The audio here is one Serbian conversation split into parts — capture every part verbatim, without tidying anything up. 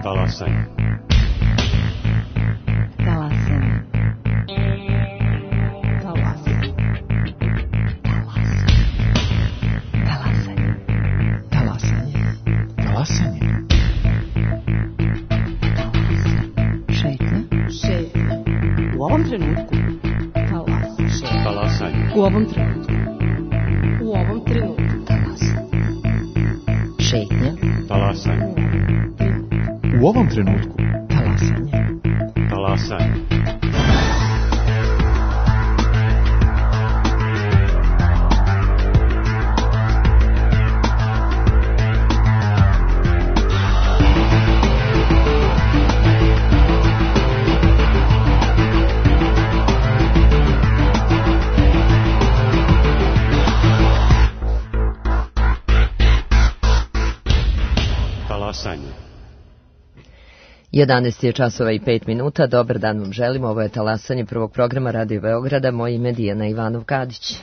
Talasanje. Talasanje. Talasanje. Talasanje. Talasanje. Talasanje. Šetnja. Šetnja. U ovom trenutku. Talasanje. Talasanje. U ovom trenutku. U ovom trenutku. Talasanje. Šetnja. Talasanje. U ovom trenutku. Talasanje. Talasanje. Talasanje. jedanaest je časova i pet minuta. Dobar dan vam želimo. Ovo je Talasanje prvog programa Radio Beograda. Moje ime je Dijana Ivanov-Kadić.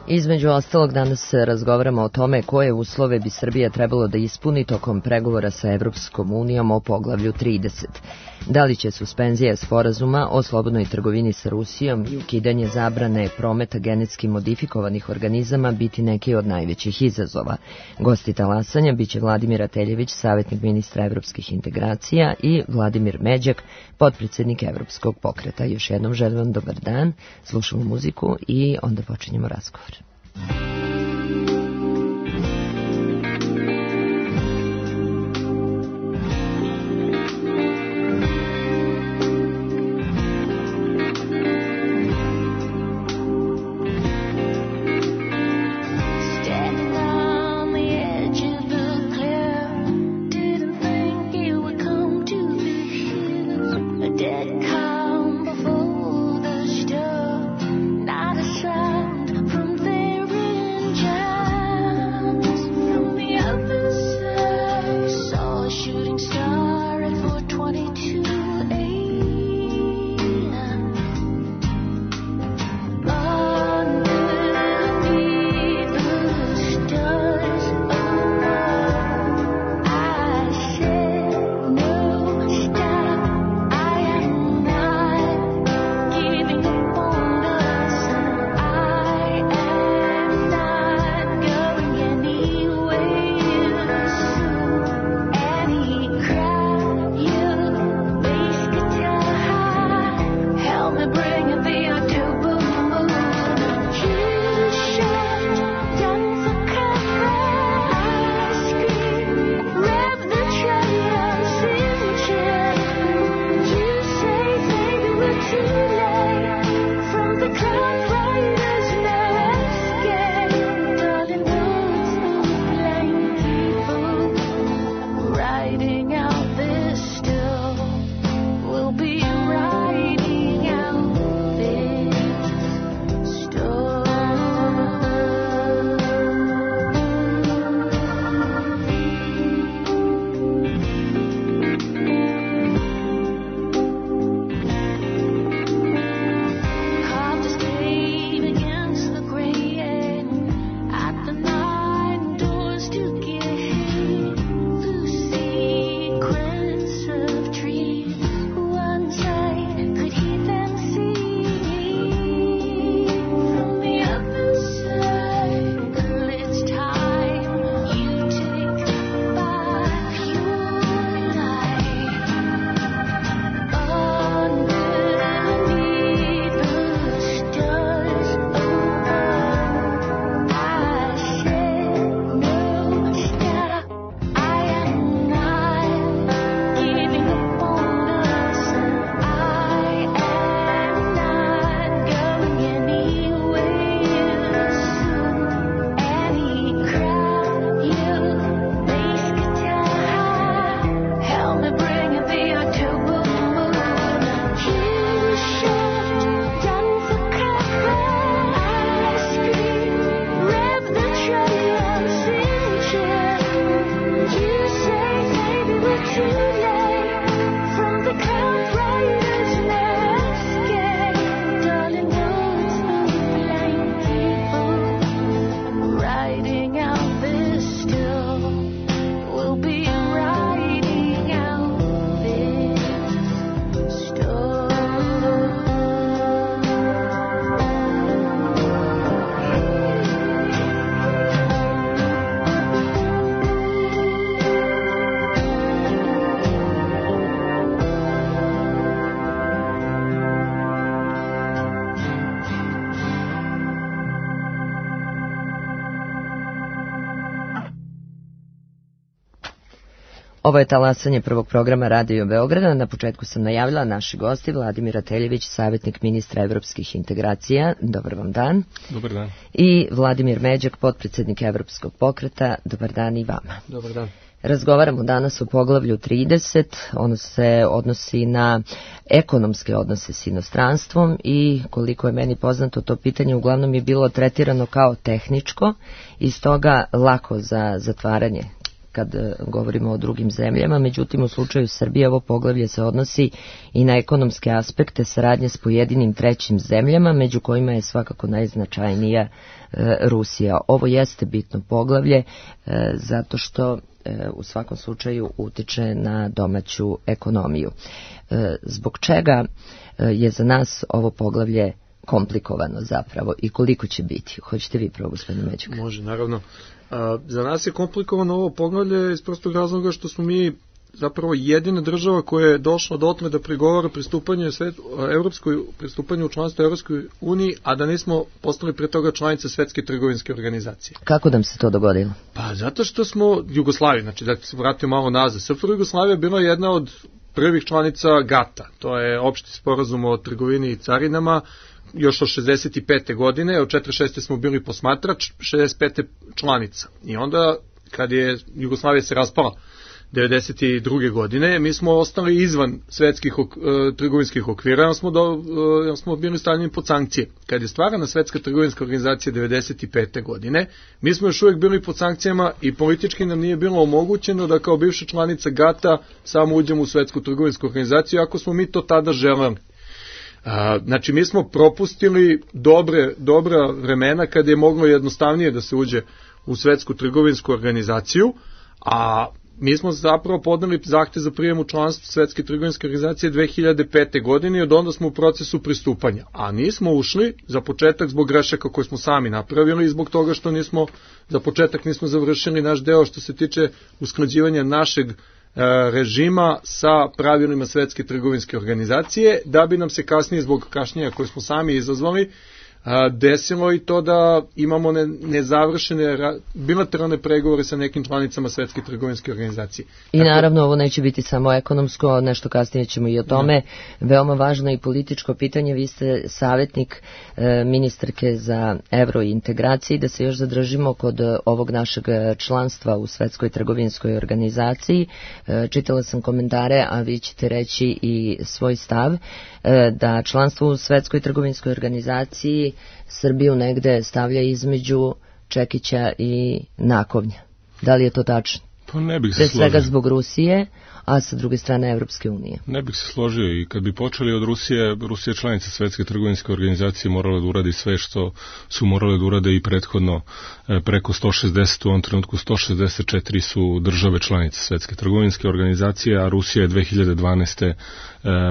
Između ostalog, danas razgovaramo o tome koje uslove bi Srbija trebalo da ispuni tokom pregovora sa Evropskom unijom o poglavlju trideset. Da li će suspenzija sporazuma o slobodnoj trgovini sa Rusijom i ukidanje zabrane prometa genetski modifikovanih organizama biti neki od najvećih izazova? Gosti Talasanja biće Vladimir Ateljević, savjetnik ministra evropskih integracija, i Vladimir Međak, potpredsjednik Evropskog pokreta. Još jednom želim vam dobar dan, slušamo muziku i onda počinjemo razgovor. From there Ovo je talasanje prvog programa Radio Beograda. Na početku sam najavila naši gosti Vladimir Ateljević, savjetnik ministra evropskih integracija. Dobar vam dan. Dobar dan. I Vladimir Međak, potpredsjednik Evropskog pokreta. Dobar dan i vama. Dobar dan. Razgovaramo danas o poglavlju trideset, ono se odnosi na ekonomske odnose s inostranstvom i koliko je meni poznato to pitanje uglavnom je bilo tretirano kao tehničko i stoga lako za zatvaranje kad govorimo o drugim zemljama, međutim u slučaju Srbije ovo poglavlje se odnosi i na ekonomske aspekte saradnje s pojedinim trećim zemljama, među kojima je svakako najznačajnija e, Rusija. Ovo jeste bitno poglavlje e, zato što e, u svakom slučaju utiče na domaću ekonomiju. E, zbog čega e, je za nas ovo poglavlje komplikovano zapravo i koliko će biti? Hoćete vi prvo, gospodine Međuk? Može, naravno. A, za nas je komplikovano ovo poglavlje iz prostog razloga što smo mi zapravo jedina država koja je došla dotle da pregovara pristupanje svet, evropskoj, pristupanje u članstvo Evropskoj uniji, a da nismo postali pre toga članice Svetske trgovinske organizacije. Kako nam se to dogodilo? Pa zato što smo Jugoslavija, znači da se vratimo malo nazad. S F R Jugoslavija je bila jedna od prvih članica gata, to je opšti sporazum o trgovini i carinama, još od šezdeset pete godine, od četrdeset šeste smo bili posmatrač, šezdeset pete članica. I onda, kad je Jugoslavija se raspala devedeset druge godine, mi smo ostali izvan svetskih ok, e, trgovinskih okvira, jer smo, do, e, jer smo bili stavljeni pod sankcije. Kad je stvarana Svetska trgovinska organizacija devedeset pete godine, mi smo još uvijek bili pod sankcijama i politički nam nije bilo omogućeno da kao bivša članica gata samo uđemo u Svetsku trgovinsku organizaciju, ako smo mi to tada želeli. A, znači mi smo propustili dobre, dobra vremena kada je moglo jednostavnije da se uđe u Svetsku trgovinsku organizaciju, a mi smo zapravo podneli zahtev za prijem u članstvo Svetske trgovinske organizacije dve hiljade pete. godine i od onda smo u procesu pristupanja, a nismo ušli za početak zbog grešaka koje smo sami napravili i zbog toga što nismo za početak nismo završili naš deo što se tiče usklađivanja našeg režima sa pravilima Svetske trgovinske organizacije, da bi nam se kasnije zbog kašnjenja koje smo sami izazvali desilo i to da imamo ne, nezavršene bilateralne pregovore sa nekim članicama Svetske trgovinske organizacije. I Tako... naravno ovo neće biti samo ekonomsko, nešto kasnije ćemo i o tome. Ne. Veoma važno i političko pitanje, vi ste savjetnik e, ministarke za evrointegraciji, da se još zadržimo kod ovog našeg članstva u Svetskoj trgovinskoj organizaciji. E, čitala sam komentare, a vi ćete reći i svoj stav, e, da članstvo u Svetskoj trgovinskoj organizaciji Srbiju negde stavlja između čekića i nakovnja. Da li je to tačno? Pa ne bih se Pre složio. svega zbog Rusije, a sa druge strane Evropske unije. Ne bih se složio i kad bi počeli od Rusije, Rusija članica Svetske trgovinske organizacije morala da uradi sve što su morale da urade i prethodno preko sto šezdeset, u ovom trenutku sto šezdeset četiri su države članice Svetske trgovinske organizacije, a Rusija je dve hiljade dvanaeste.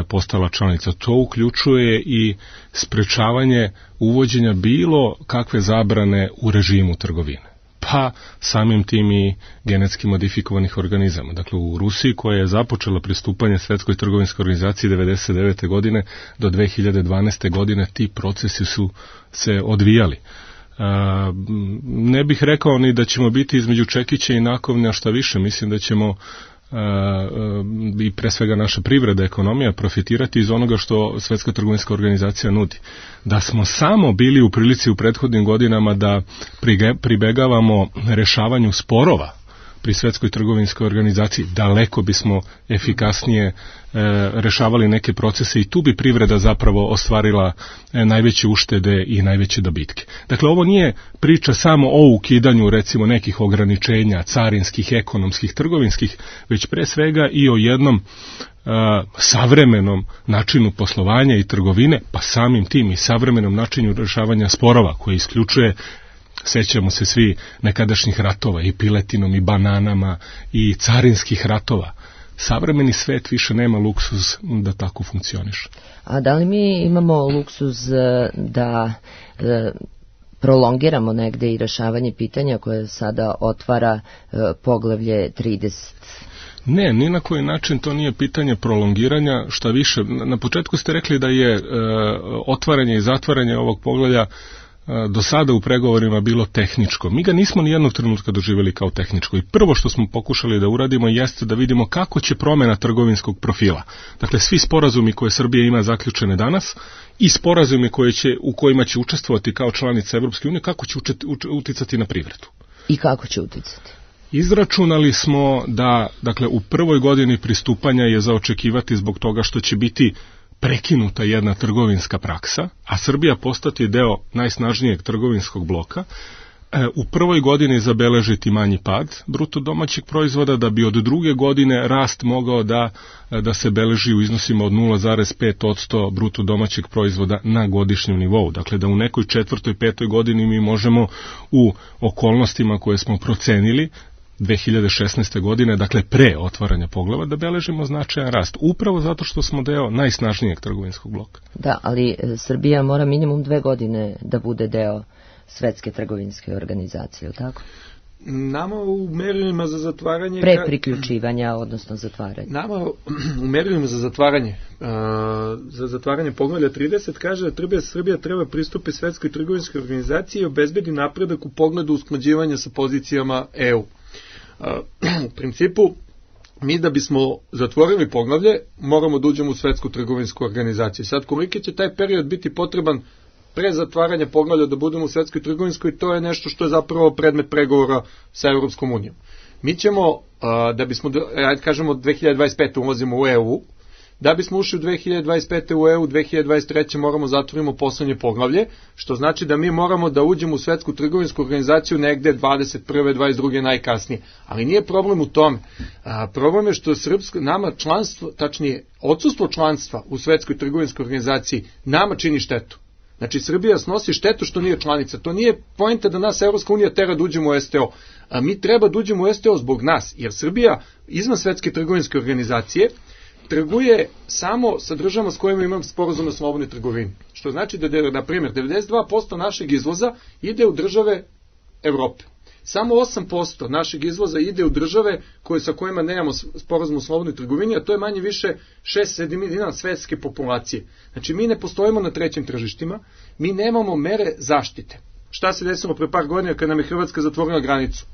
postala članica. To uključuje i sprečavanje uvođenja bilo kakve zabrane u režimu trgovine. Pa samim tim i genetski modifikovanih organizama. Dakle, u Rusiji koja je započela pristupanje Svetskoj trgovinskoj organizaciji devedeset devete. godine do dve hiljade dvanaeste. godine ti procesi su se odvijali. A, ne bih rekao ni da ćemo biti između čekića i nakovnja, šta više, mislim da ćemo i pre svega naša privreda, ekonomija profitirati iz onoga što Svetska trgovinska organizacija nudi. Da smo samo bili u prilici u prethodnim godinama da pribegavamo rešavanju sporova pri Svetskoj trgovinskoj organizaciji, daleko bismo efikasnije e, rešavali neke procese i tu bi privreda zapravo ostvarila e, najveće uštede i najveće dobitke. Dakle, ovo nije priča samo o ukidanju recimo nekih ograničenja carinskih, ekonomskih, trgovinskih, već pre svega i o jednom e, savremenom načinu poslovanja i trgovine, pa samim tim i savremenom načinu rešavanja sporova koji isključuje, sećamo se svi nekadašnjih ratova i piletinom i bananama i carinskih ratova. Savremeni svet više nema luksuz da tako funkcioniše. A da li mi imamo luksuz da e, prolongiramo negde i rešavanje pitanja koje sada otvara e, poglavlje trideset? Ne, ni na koji način to nije pitanje prolongiranja, šta više. Na početku ste rekli da je e, otvaranje i zatvaranje ovog poglavlja do sada u pregovorima bilo tehničko. Mi ga nismo ni jednog trenutka doživjeli kao tehničko i prvo što smo pokušali da uradimo jeste da vidimo kako će promjena trgovinskog profila. Dakle, svi sporazumi koje Srbija ima zaključene danas i sporazumi koje će, u kojima će učestvovati kao članica Evropske unije, kako će učet, uč, uticati na privredu. I kako će uticati? Izračunali smo da, dakle, u prvoj godini pristupanja je za očekivati zbog toga što će biti prekinuta jedna trgovinska praksa, a Srbija postati deo najsnažnijeg trgovinskog bloka, e, u prvoj godini zabeležiti manji pad bruto domaćeg proizvoda, da bi od druge godine rast mogao da, da se beleži u iznosima od nula zarez pet posto bruto domaćeg proizvoda na godišnjem nivou. Dakle, da u nekoj četvrtoj, petoj godini mi možemo u okolnostima koje smo procenili dve hiljade šesnaeste. godine, dakle pre otvaranja poglava, da beležimo značajan rast, upravo zato što smo deo najsnažnijeg trgovinskog bloka. Da, ali Srbija mora minimum dve godine da bude deo Svetske trgovinske organizacije, ili tako? Nama u merilima za zatvaranje... Pre priključivanja, odnosno zatvaranja. Nama u merilima za zatvaranje, uh, za zatvaranje poglavlja trideset kaže da Srbija treba pristupi Svetskoj trgovinskoj organizaciji i obezbedi napredak u pogledu usklađivanja sa pozicijama E U. U principu, mi da bismo zatvorili poglavlje, moramo da uđemo u Svetsku trgovinsku organizaciju. Sad, koliki će taj period biti potreban pre zatvaranja poglavlja da budemo u Svetskoj trgovinskoj, to je nešto što je zapravo predmet pregovora sa Evropskom unijom. Mi ćemo, da bismo, ajde kažemo, dve hiljade dvadeset pete. ulazimo u E U, da bismo ušli u dve hiljade dvadeset pete. u E U, dve hiljade dvadeset treće. moramo zatvorimo poslednje poglavlje, što znači da mi moramo da uđemo u Svetsku trgovinsku organizaciju negde dvadeset prve. dvadeset druge najkasnije. Ali nije problem u tome. A, problem je što srpsko, nama članstvo, tačnije odsustvo članstva u Svetskoj trgovinskoj organizaciji nama čini štetu. Znači, Srbija snosi štetu što nije članica. To nije poenta da nas Evropska unija tera da uđemo u S T O. A mi treba da uđemo u S T O zbog nas, jer Srbija izvan Svetske trgovinske organizacije trguje samo sa državama s kojima imamo sporazum o slobodnoj trgovini. Što znači da, na primjer, devedeset dva posto našeg izvoza ide u države Evrope. Samo osam posto našeg izvoza ide u države koje, sa kojima nemamo sporazum o slobodnoj trgovini, a to je manje više šest sedmina svetske populacije. Znači, mi ne postojimo na trećim tržištima, mi nemamo mere zaštite. Šta se desilo pre par godina kad nam je Hrvatska zatvorila granicu?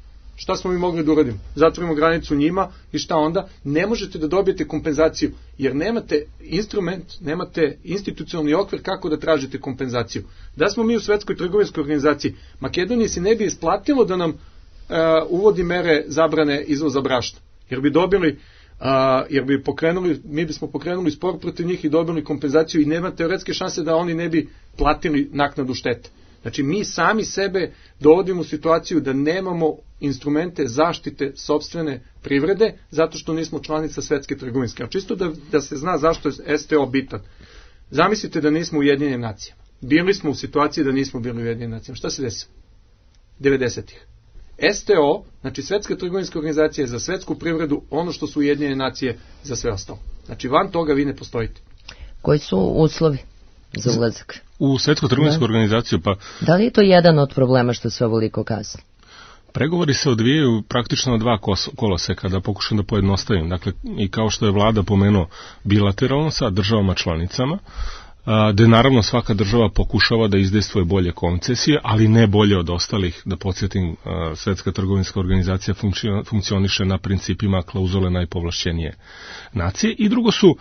Šta smo mi mogli da uradimo? Zatvorimo granicu njima i šta onda? Ne možete da dobijete kompenzaciju, jer nemate instrument, nemate institucionalni okvir kako da tražite kompenzaciju. Da smo mi u Svetskoj trgovinskoj organizaciji, Makedoniji se ne bi isplatilo da nam uh, uvodi mere zabrane izvoza brašna, jer bi dobili, uh, jer bi pokrenuli, mi bismo pokrenuli spor protiv njih i dobili kompenzaciju i nema teoretske šanse da oni ne bi platili naknadu štete. Znači, mi sami sebe dovodimo u situaciju da nemamo instrumente zaštite sopstvene privrede, zato što nismo članica Svetske trgovinske. A čisto da, da se zna zašto je S T O bitan. Zamislite da nismo u Ujedinjenim nacijama. Bili smo u situaciji da nismo bili u Ujedinjenim nacijama. Šta se desilo? devedesetih. S T O, znači Svetska trgovinska organizacija, je za svetsku privredu ono što su Ujedinjene nacije za sve ostalo. Znači, van toga vi ne postojite. Koji su uslovi za ulazak? U Svetsku trgovinsku organizaciju, pa... Da li je to jedan od problema što se ovoliko kasni? Pregovori se odvijaju praktično na dva koloseka, da pokušam da pojednostavim. Dakle, i kao što je vlada pomenuo, bilateralno sa državama članicama, gde naravno svaka država pokušava da izdejstvuje bolje koncesije, ali ne bolje od ostalih. Da podsjetim, Svetska trgovinska organizacija funkcioniše na principima klauzule najpovlašćenije nacije. I drugo su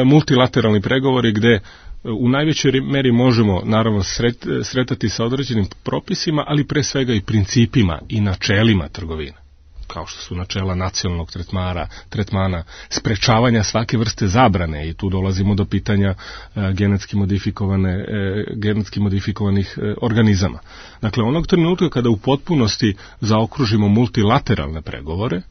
multilateralni pregovori gde u najvećoj meri možemo naravno sret, sretati sa određenim propisima, ali pre svega i principima i načelima trgovine, kao što su načela nacionalnog tretmana, tretmana, sprečavanja svake vrste zabrane, i tu dolazimo do pitanja e, genetski modifikovane, e, genetski modifikovanih e, organizama. Dakle, onog trenutka kada u potpunosti zaokružimo multilateralne pregovore,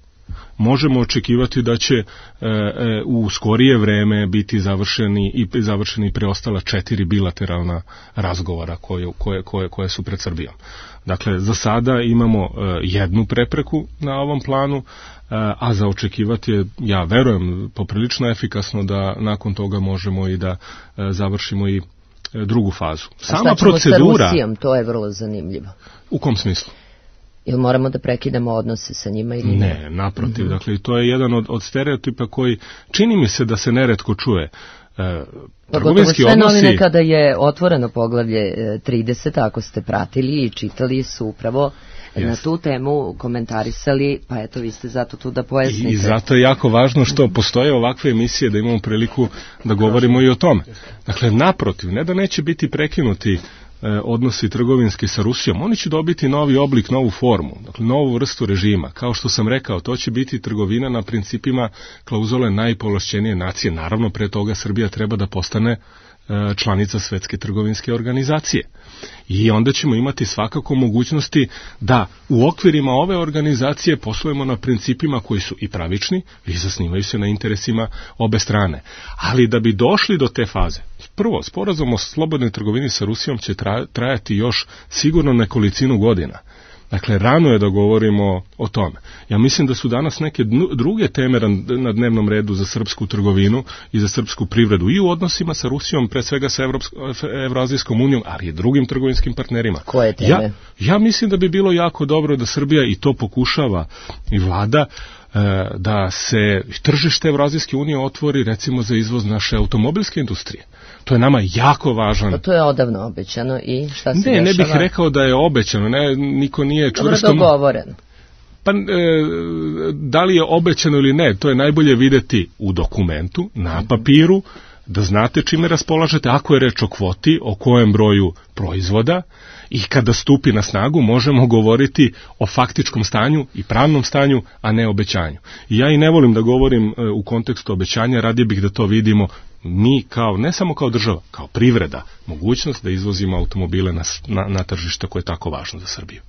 možemo očekivati da će e, e, u skorije vreme biti završeni i završeni preostala četiri bilateralna razgovora koje, koje, koje, koje su pred Srbijom. Dakle, za sada imamo e, jednu prepreku na ovom planu, e, a za očekivati je, ja verujem, poprilično efikasno da nakon toga možemo i da e, završimo i e, drugu fazu. Sama procedura... sa Rusijom, to je vrlo zanimljivo. U kom smislu? Ili moramo da prekidamo odnose sa njima ili ne? Ne, naprotiv. Mm-hmm. Dakle, to je jedan od, od stereotipa koji čini mi se da se neretko čuje. E, Pogotovo sve odnosi... novine kada je otvoreno poglavlje trideset, ako ste pratili i čitali, su upravo yes. na tu temu komentarisali, pa eto vi ste zato tu da pojasnite. I, I zato je jako važno što postoje ovakve emisije da imamo priliku da govorimo i o tome. Dakle, naprotiv, ne da neće biti prekinuti odnosi trgovinski sa Rusijom, oni će dobiti novi oblik, novu formu, dakle novu vrstu režima. Kao što sam rekao, to će biti trgovina na principima klauzule najpovlašćenije nacije. Naravno, pre toga Srbija treba da postane članica Svetske trgovinske organizacije. I onda ćemo imati svakako mogućnosti da u okvirima ove organizacije poslujemo na principima koji su i pravični i zasnivaju se na interesima obe strane. Ali da bi došli do te faze, prvo, sporazum o slobodnoj trgovini sa Rusijom će trajati još sigurno nekolicinu godina. Dakle, rano je da govorimo o tome. Ja mislim da su danas neke druge teme na dnevnom redu za srpsku trgovinu i za srpsku privredu i u odnosima sa Rusijom, pre svega sa Evroazijskom unijom, ali i drugim trgovinskim partnerima. Koje teme? Ja, ja mislim da bi bilo jako dobro da Srbija, i to pokušava i vlada, da se tržište Evroazijske unije otvori recimo za izvoz naše automobilske industrije. To je nama jako važan. Pa to je odavno obećano i šta se ne, dešava? Ne, ne bih rekao da je obećano, ne, niko nije čvrsto... Dobro dogovoreno. Pa, e, da li je obećano ili ne, to je najbolje videti u dokumentu, na papiru, da znate čime raspolažete, ako je reč o kvoti, o kojem broju proizvoda, i kada stupi na snagu možemo govoriti o faktičkom stanju i pravnom stanju, a ne obećanju. I ja i ne volim da govorim e, u kontekstu obećanja, radije bih da to vidimo mi kao, ne samo kao država, kao privreda, mogućnost da izvozimo automobile na, na, na tržište koje je tako važno za Srbiju.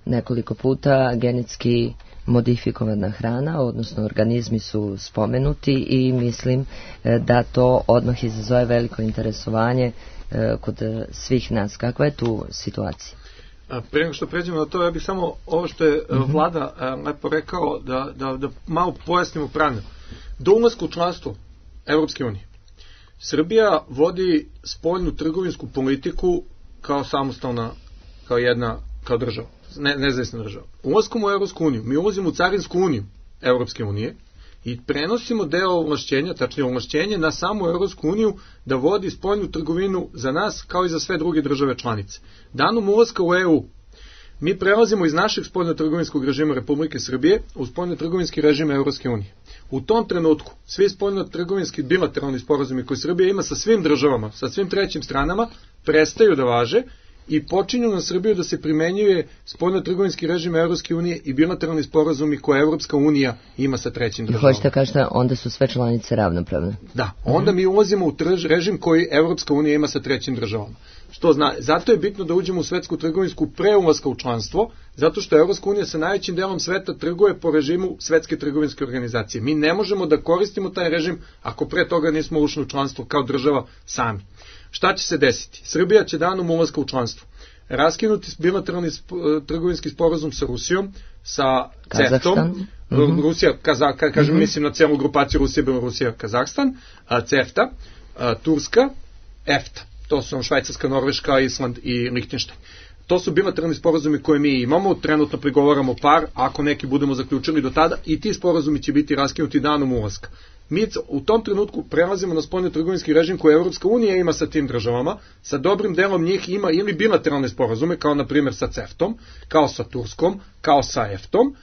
Nekoliko puta genetski modifikovana hrana, odnosno organizmi su spomenuti i mislim da to odmah izazove veliko interesovanje kod svih nas. Kakva je tu situacija? Prije nego što pređemo na to, ja bih samo ovo što je mm-hmm. vlada lepo rekao, da, da, da malo pojasnimo pravno. Do ulaska u članstvo Evropske unije, Srbija vodi spoljnu trgovinsku politiku kao samostalna, kao jedna, kao država, ne, nezavisna država. Ulaskom u Evropsku uniju, mi ulazimo u Carinsku uniju Evropske unije i prenosimo deo ovlašćenja, tačnije ovlašćenje na samu Evropsku uniju da vodi spoljnu trgovinu za nas kao i za sve druge države članice. Danom ulaska u E U, mi prelazimo iz našeg spoljno-trgovinskog režima Republike Srbije u spoljno-trgovinski režim Evropske unije. U tom trenutku svi spoljno-trgovinski bilateralni sporazumi koje Srbija ima sa svim državama, sa svim trećim stranama, prestaju da važe i počinju na Srbiju da se primenjuje spoljno-trgovinski režim Evropske unije i bilateralni sporazumi koje Evropska unija ima sa trećim državama. Hoćete kažete, onda su sve članice ravnopravne? Da, onda mi ulazimo u trž, režim koji Evropska unija ima sa trećim državama. Što zna, zato je bitno da uđemo u svetsku trgovinsku pre ulaska u članstvo, zato što Evropska unija sa najvećim delom sveta trguje po režimu Svetske trgovinske organizacije. Mi ne možemo da koristimo taj režim ako pre toga nismo ušli u članstvo kao država sami. Šta će se desiti? Srbija će danom ulaska u članstvo raskinuti bilateralni sp- trgovinski sporazum sa Rusijom, sa CEFTA-om, mm-hmm. Rusija, Kaza, ka, kažem, mm-hmm. mislim na celu grupaciju Rusija, Belorusija, Kazahstan, a, CEFTA, a, Turska, EFTA. To su Švajcarska, Norveška, Island i Lihtenštajn. To su bilateralni sporazumi koje mi imamo, trenutno pregovaramo par, ako neki budemo zaključili do tada, i ti sporazumi će biti raskinuti danom ulaska. Mi u tom trenutku prelazimo na spoljno-trgovinski režim koji Evropska unija ima sa tim državama, sa dobrim delom njih ima ili bilateralne sporazume, kao na primjer sa CEFTA-om, kao sa Turskom, kao sa EFTA-om.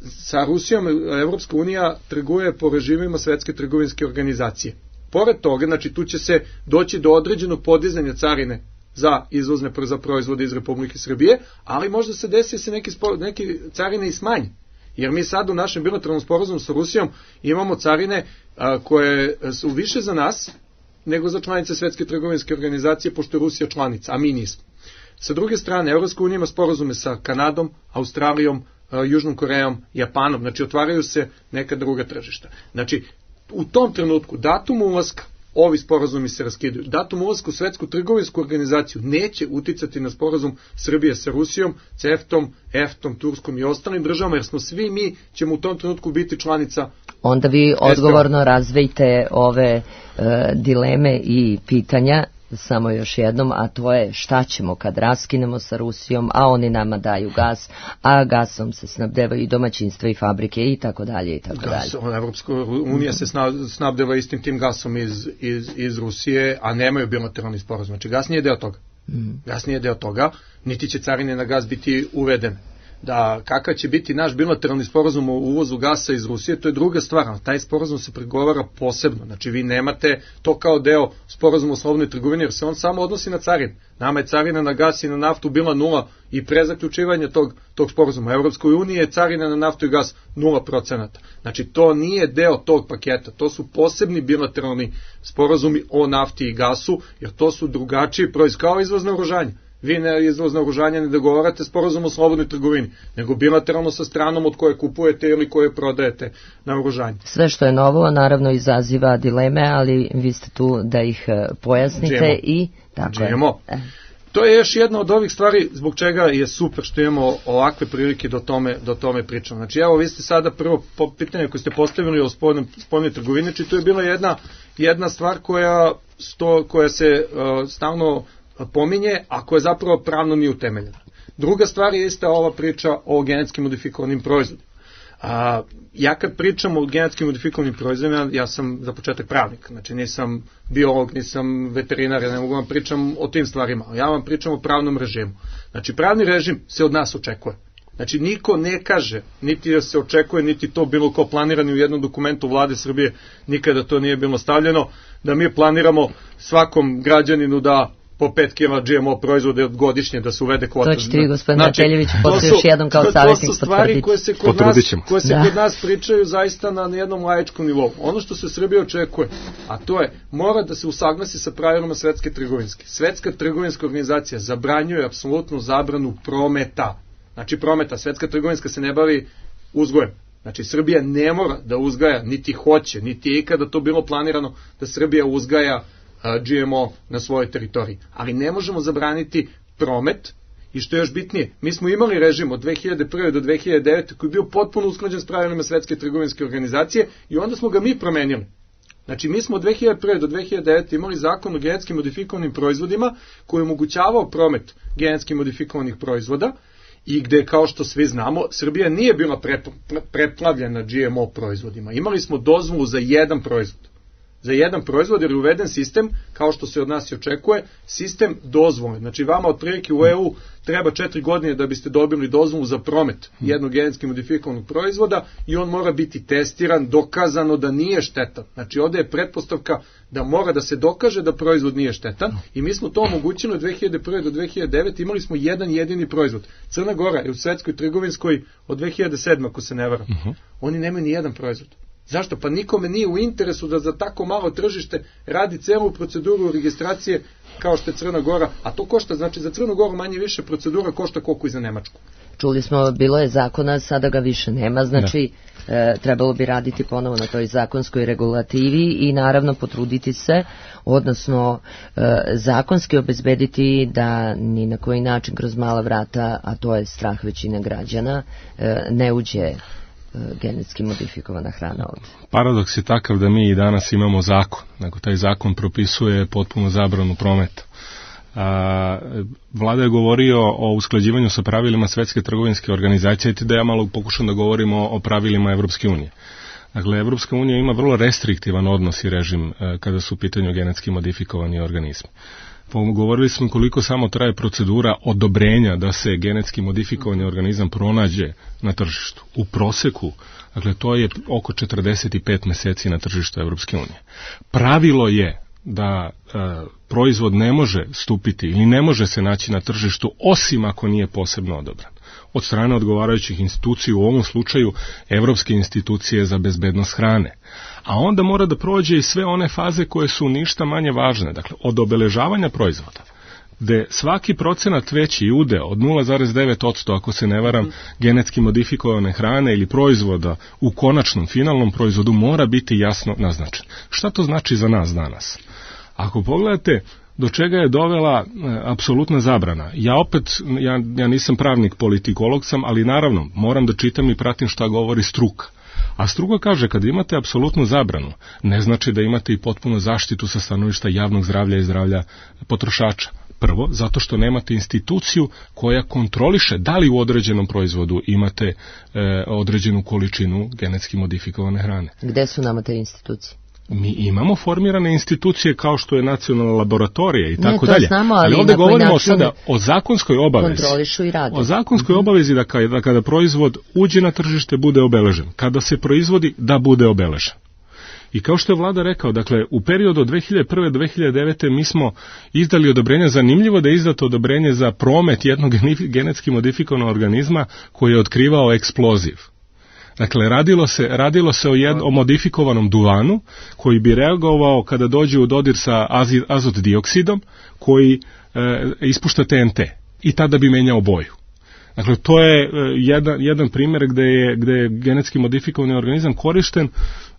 Sa Rusijom Evropska unija trguje po režimima Svetske trgovinske organizacije. Pored toga, znači tu će se doći do određenog podizanja carine za izvozne za proizvode iz Republike Srbije, ali možda se desi se neki, spor, neki carine i smanje. Jer mi sad u našem bilateralnom sporazumu sa Rusijom imamo carine a, koje su više za nas nego za članice Svetske trgovinske organizacije, pošto je Rusija članica, a mi nismo. Sa druge strane, Evropska unija ima sporazume sa Kanadom, Australijom, a, Južnom Korejom, Japanom, znači otvaraju se neka druga tržišta. Znači, u tom trenutku, datum ulaska, ovi sporazumi se raskidaju. Datum ulaska u Svetsku trgovinsku organizaciju neće uticati na sporazum Srbije sa Rusijom, CEFTA-om, EFTA-om, Turskom i ostalim državama, jer smo svi mi ćemo u tom trenutku biti članica. Onda vi odgovorno razvejte ove e, dileme i pitanja samo još jednom, a to je šta ćemo kad raskinemo sa Rusijom, a oni nama daju gas, a gasom se snabdevaju i domaćinstva i fabrike i tako dalje i tako Gas, dalje. Evropska unija se snabdeva istim tim gasom iz, iz, iz Rusije, a nemaju bilateralni sporazum. Znači gas nije deo toga. Mm. Gas nije deo toga, niti će carine na gas biti uvedene. Da kakav će biti naš bilateralni sporazum o uvozu gasa iz Rusije, to je druga stvar, taj sporazum se pregovara posebno, znači vi nemate to kao deo sporazuma o slobodnoj trgovini, jer se on samo odnosi na carine. Nama je carina na gas i na naftu bila nula i pre zaključivanja tog, tog sporazuma. Evropskoj uniji je carina na naftu i gas nula procenata. Znači to nije deo tog paketa, to su posebni bilateralni sporazumi o nafti i gasu, jer to su drugačiji proizvod, kao izvozno oružanje. Vi ne izvoz naoružanja ne dogovarate sporazum o slobodnoj trgovini, nego bilateralno sa stranom od koje kupujete ili koje prodajete naoružanje. Sve što je novo naravno izaziva dileme, ali vi ste tu da ih pojasnite. G M O. I tako G M O. je. To je još jedna od ovih stvari zbog čega je super što imamo ovakve prilike do tome, do tome pričamo. Znači evo vi ste sada prvo pitanje koje ste postavili o spoljnoj trgovini, znači to je bila jedna, jedna stvar koja, sto, koja se uh, stalno pominje, a koja zapravo pravno nije utemeljena. Druga stvar je ista ova priča o genetski modifikovanim proizvodima. A, ja kad pričam o genetski modifikovanim proizvodima, ja sam za početak pravnik, znači nisam biolog, nisam veterinar, ja ne mogu vam pričam o tim stvarima, ja vam pričam o pravnom režimu. Znači pravni režim se od nas očekuje. Znači niko ne kaže, niti da se očekuje, niti to bilo ko planirano u jednom dokumentu vlade Srbije, nikada to nije bilo stavljeno, da mi planiramo svakom građaninu da po pet kilograma G M O proizvode godišnje da se uvede kvota. To ćete vi, gospodin Mateljević, posle još jednom kao savjetnik potvrditi. To su stvari koje se kod nas, koje se kod nas pričaju zaista na jednom laičkom nivou. Ono što se Srbije očekuje, a to je, mora da se usaglasi sa pravilima Svetske trgovinske. Svetska trgovinska organizacija zabranjuje apsolutnu zabranu prometa. Znači prometa, Svetska trgovinska se ne bavi uzgojem. Znači Srbija ne mora da uzgaja, niti hoće, niti je ikada to bilo planirano da Srbija uzgaja G M O na svojoj teritoriji. Ali ne možemo zabraniti promet i što je još bitnije, mi smo imali režim od dve hiljade prve do dve hiljade devete koji je bio potpuno usklađen s pravilima Svetske trgovinske organizacije i onda smo ga mi promenili. Znači mi smo od dve hiljade prve do dve hiljade devete imali zakon o genetski modifikovanim proizvodima koji je omogućavao promet genetski modifikovanih proizvoda i gde, kao što svi znamo, Srbija nije bila preplavljena G M O proizvodima. Imali smo dozvolu za jedan proizvod. Za jedan proizvod jer je uveden sistem, kao što se od nas i očekuje, sistem dozvole. Znači vama otprilike u E U treba četiri godine da biste dobili dozvolu za promet jednog genetski modifikovanog proizvoda i on mora biti testiran, dokazano da nije štetan. Znači ovde je pretpostavka da mora da se dokaže da proizvod nije štetan i mi smo to omogućili od dve hiljade prve do dve hiljade devete, imali smo jedan jedini proizvod. Crna Gora je u Svetskoj trgovinskoj od dve hiljade sedme, ako se ne varam. Uh-huh. Oni nemaju ni jedan proizvod. Zašto? Pa nikome nije u interesu da za tako malo tržište radi celu proceduru registracije kao što je Crna Gora, a to košta, znači za Crnu Goru manje više procedura košta koliko i za Nemačku. Čuli smo, bilo je zakona, sada ga više nema, znači e, trebalo bi raditi ponovo na toj zakonskoj regulativi i naravno potruditi se, odnosno e, zakonski obezbediti da ni na koji način kroz mala vrata, a to je strah većine građana, e, ne uđe genetski modifikovana hrana ovdje. Paradoks je takav da mi i danas imamo zakon, nego taj zakon propisuje potpuno zabranu prometa. A, Vlada je govorio o usklađivanju sa pravilima Svetske trgovinske organizacije, i da ja malo pokušam da govorimo o pravilima Evropske unije. Dakle, Evropska unija ima vrlo restriktivan odnos i režim e, kada su u pitanju genetski modifikovani organizmi. Govorili smo koliko samo traje procedura odobrenja da se genetski modifikovani organizam pronađe na tržištu. U proseku, dakle, to je oko četrdeset pet meseci na tržištu Evropske unije. Pravilo je da e, proizvod ne može stupiti ili ne može se naći na tržištu osim ako nije posebno odobran od strane odgovarajućih institucija, u ovom slučaju Evropske institucije za bezbednost hrane. A onda mora da prođe i sve one faze koje su ništa manje važne, dakle od obeležavanja proizvoda, gde svaki procenat veći udeo od nula zarez devet posto, ako se ne varam, genetski modifikovane hrane ili proizvoda u konačnom finalnom proizvodu mora biti jasno naznačen. Šta to znači za nas danas? Ako pogledate do čega je dovela e, apsolutna zabrana. Ja opet, ja, ja nisam pravnik, politikolog sam, ali naravno moram da čitam i pratim šta govori struka. A struka kaže, kad imate apsolutnu zabranu, ne znači da imate i potpunu zaštitu sa stanovišta javnog zdravlja i zdravlja potrošača. Prvo, zato što nemate instituciju koja kontroliše da li u određenom proizvodu imate e, određenu količinu genetski modifikovane hrane. Gde su nama te institucije? Mi imamo formirane institucije kao što je nacionalna laboratorija i ne, tako dalje. Znamo, ali, ali ovde govorimo način sada o zakonskoj obavezi. Kontrolišu i rade. O zakonskoj obavezi da kada, da kada proizvod uđe na tržište bude obeležen. Kada se proizvodi da bude obeležen. I kao što je vlada rekao, dakle, u periodu od dve hiljade prve do dve hiljade devete mi smo izdali odobrenje, zanimljivo da je izdato odobrenje za promet jednog genetski modifikovanog organizma koji je otkrivao eksploziv. Dakle, radilo se, radilo se o, jed, o modifikovanom duvanu koji bi reagovao kada dođe u dodir sa azid, azot dioksidom koji e, ispušta T N T i tada bi menjao boju. Dakle, to je e, jedan, jedan primjer gde je, gde je genetski modifikovani organizam korišten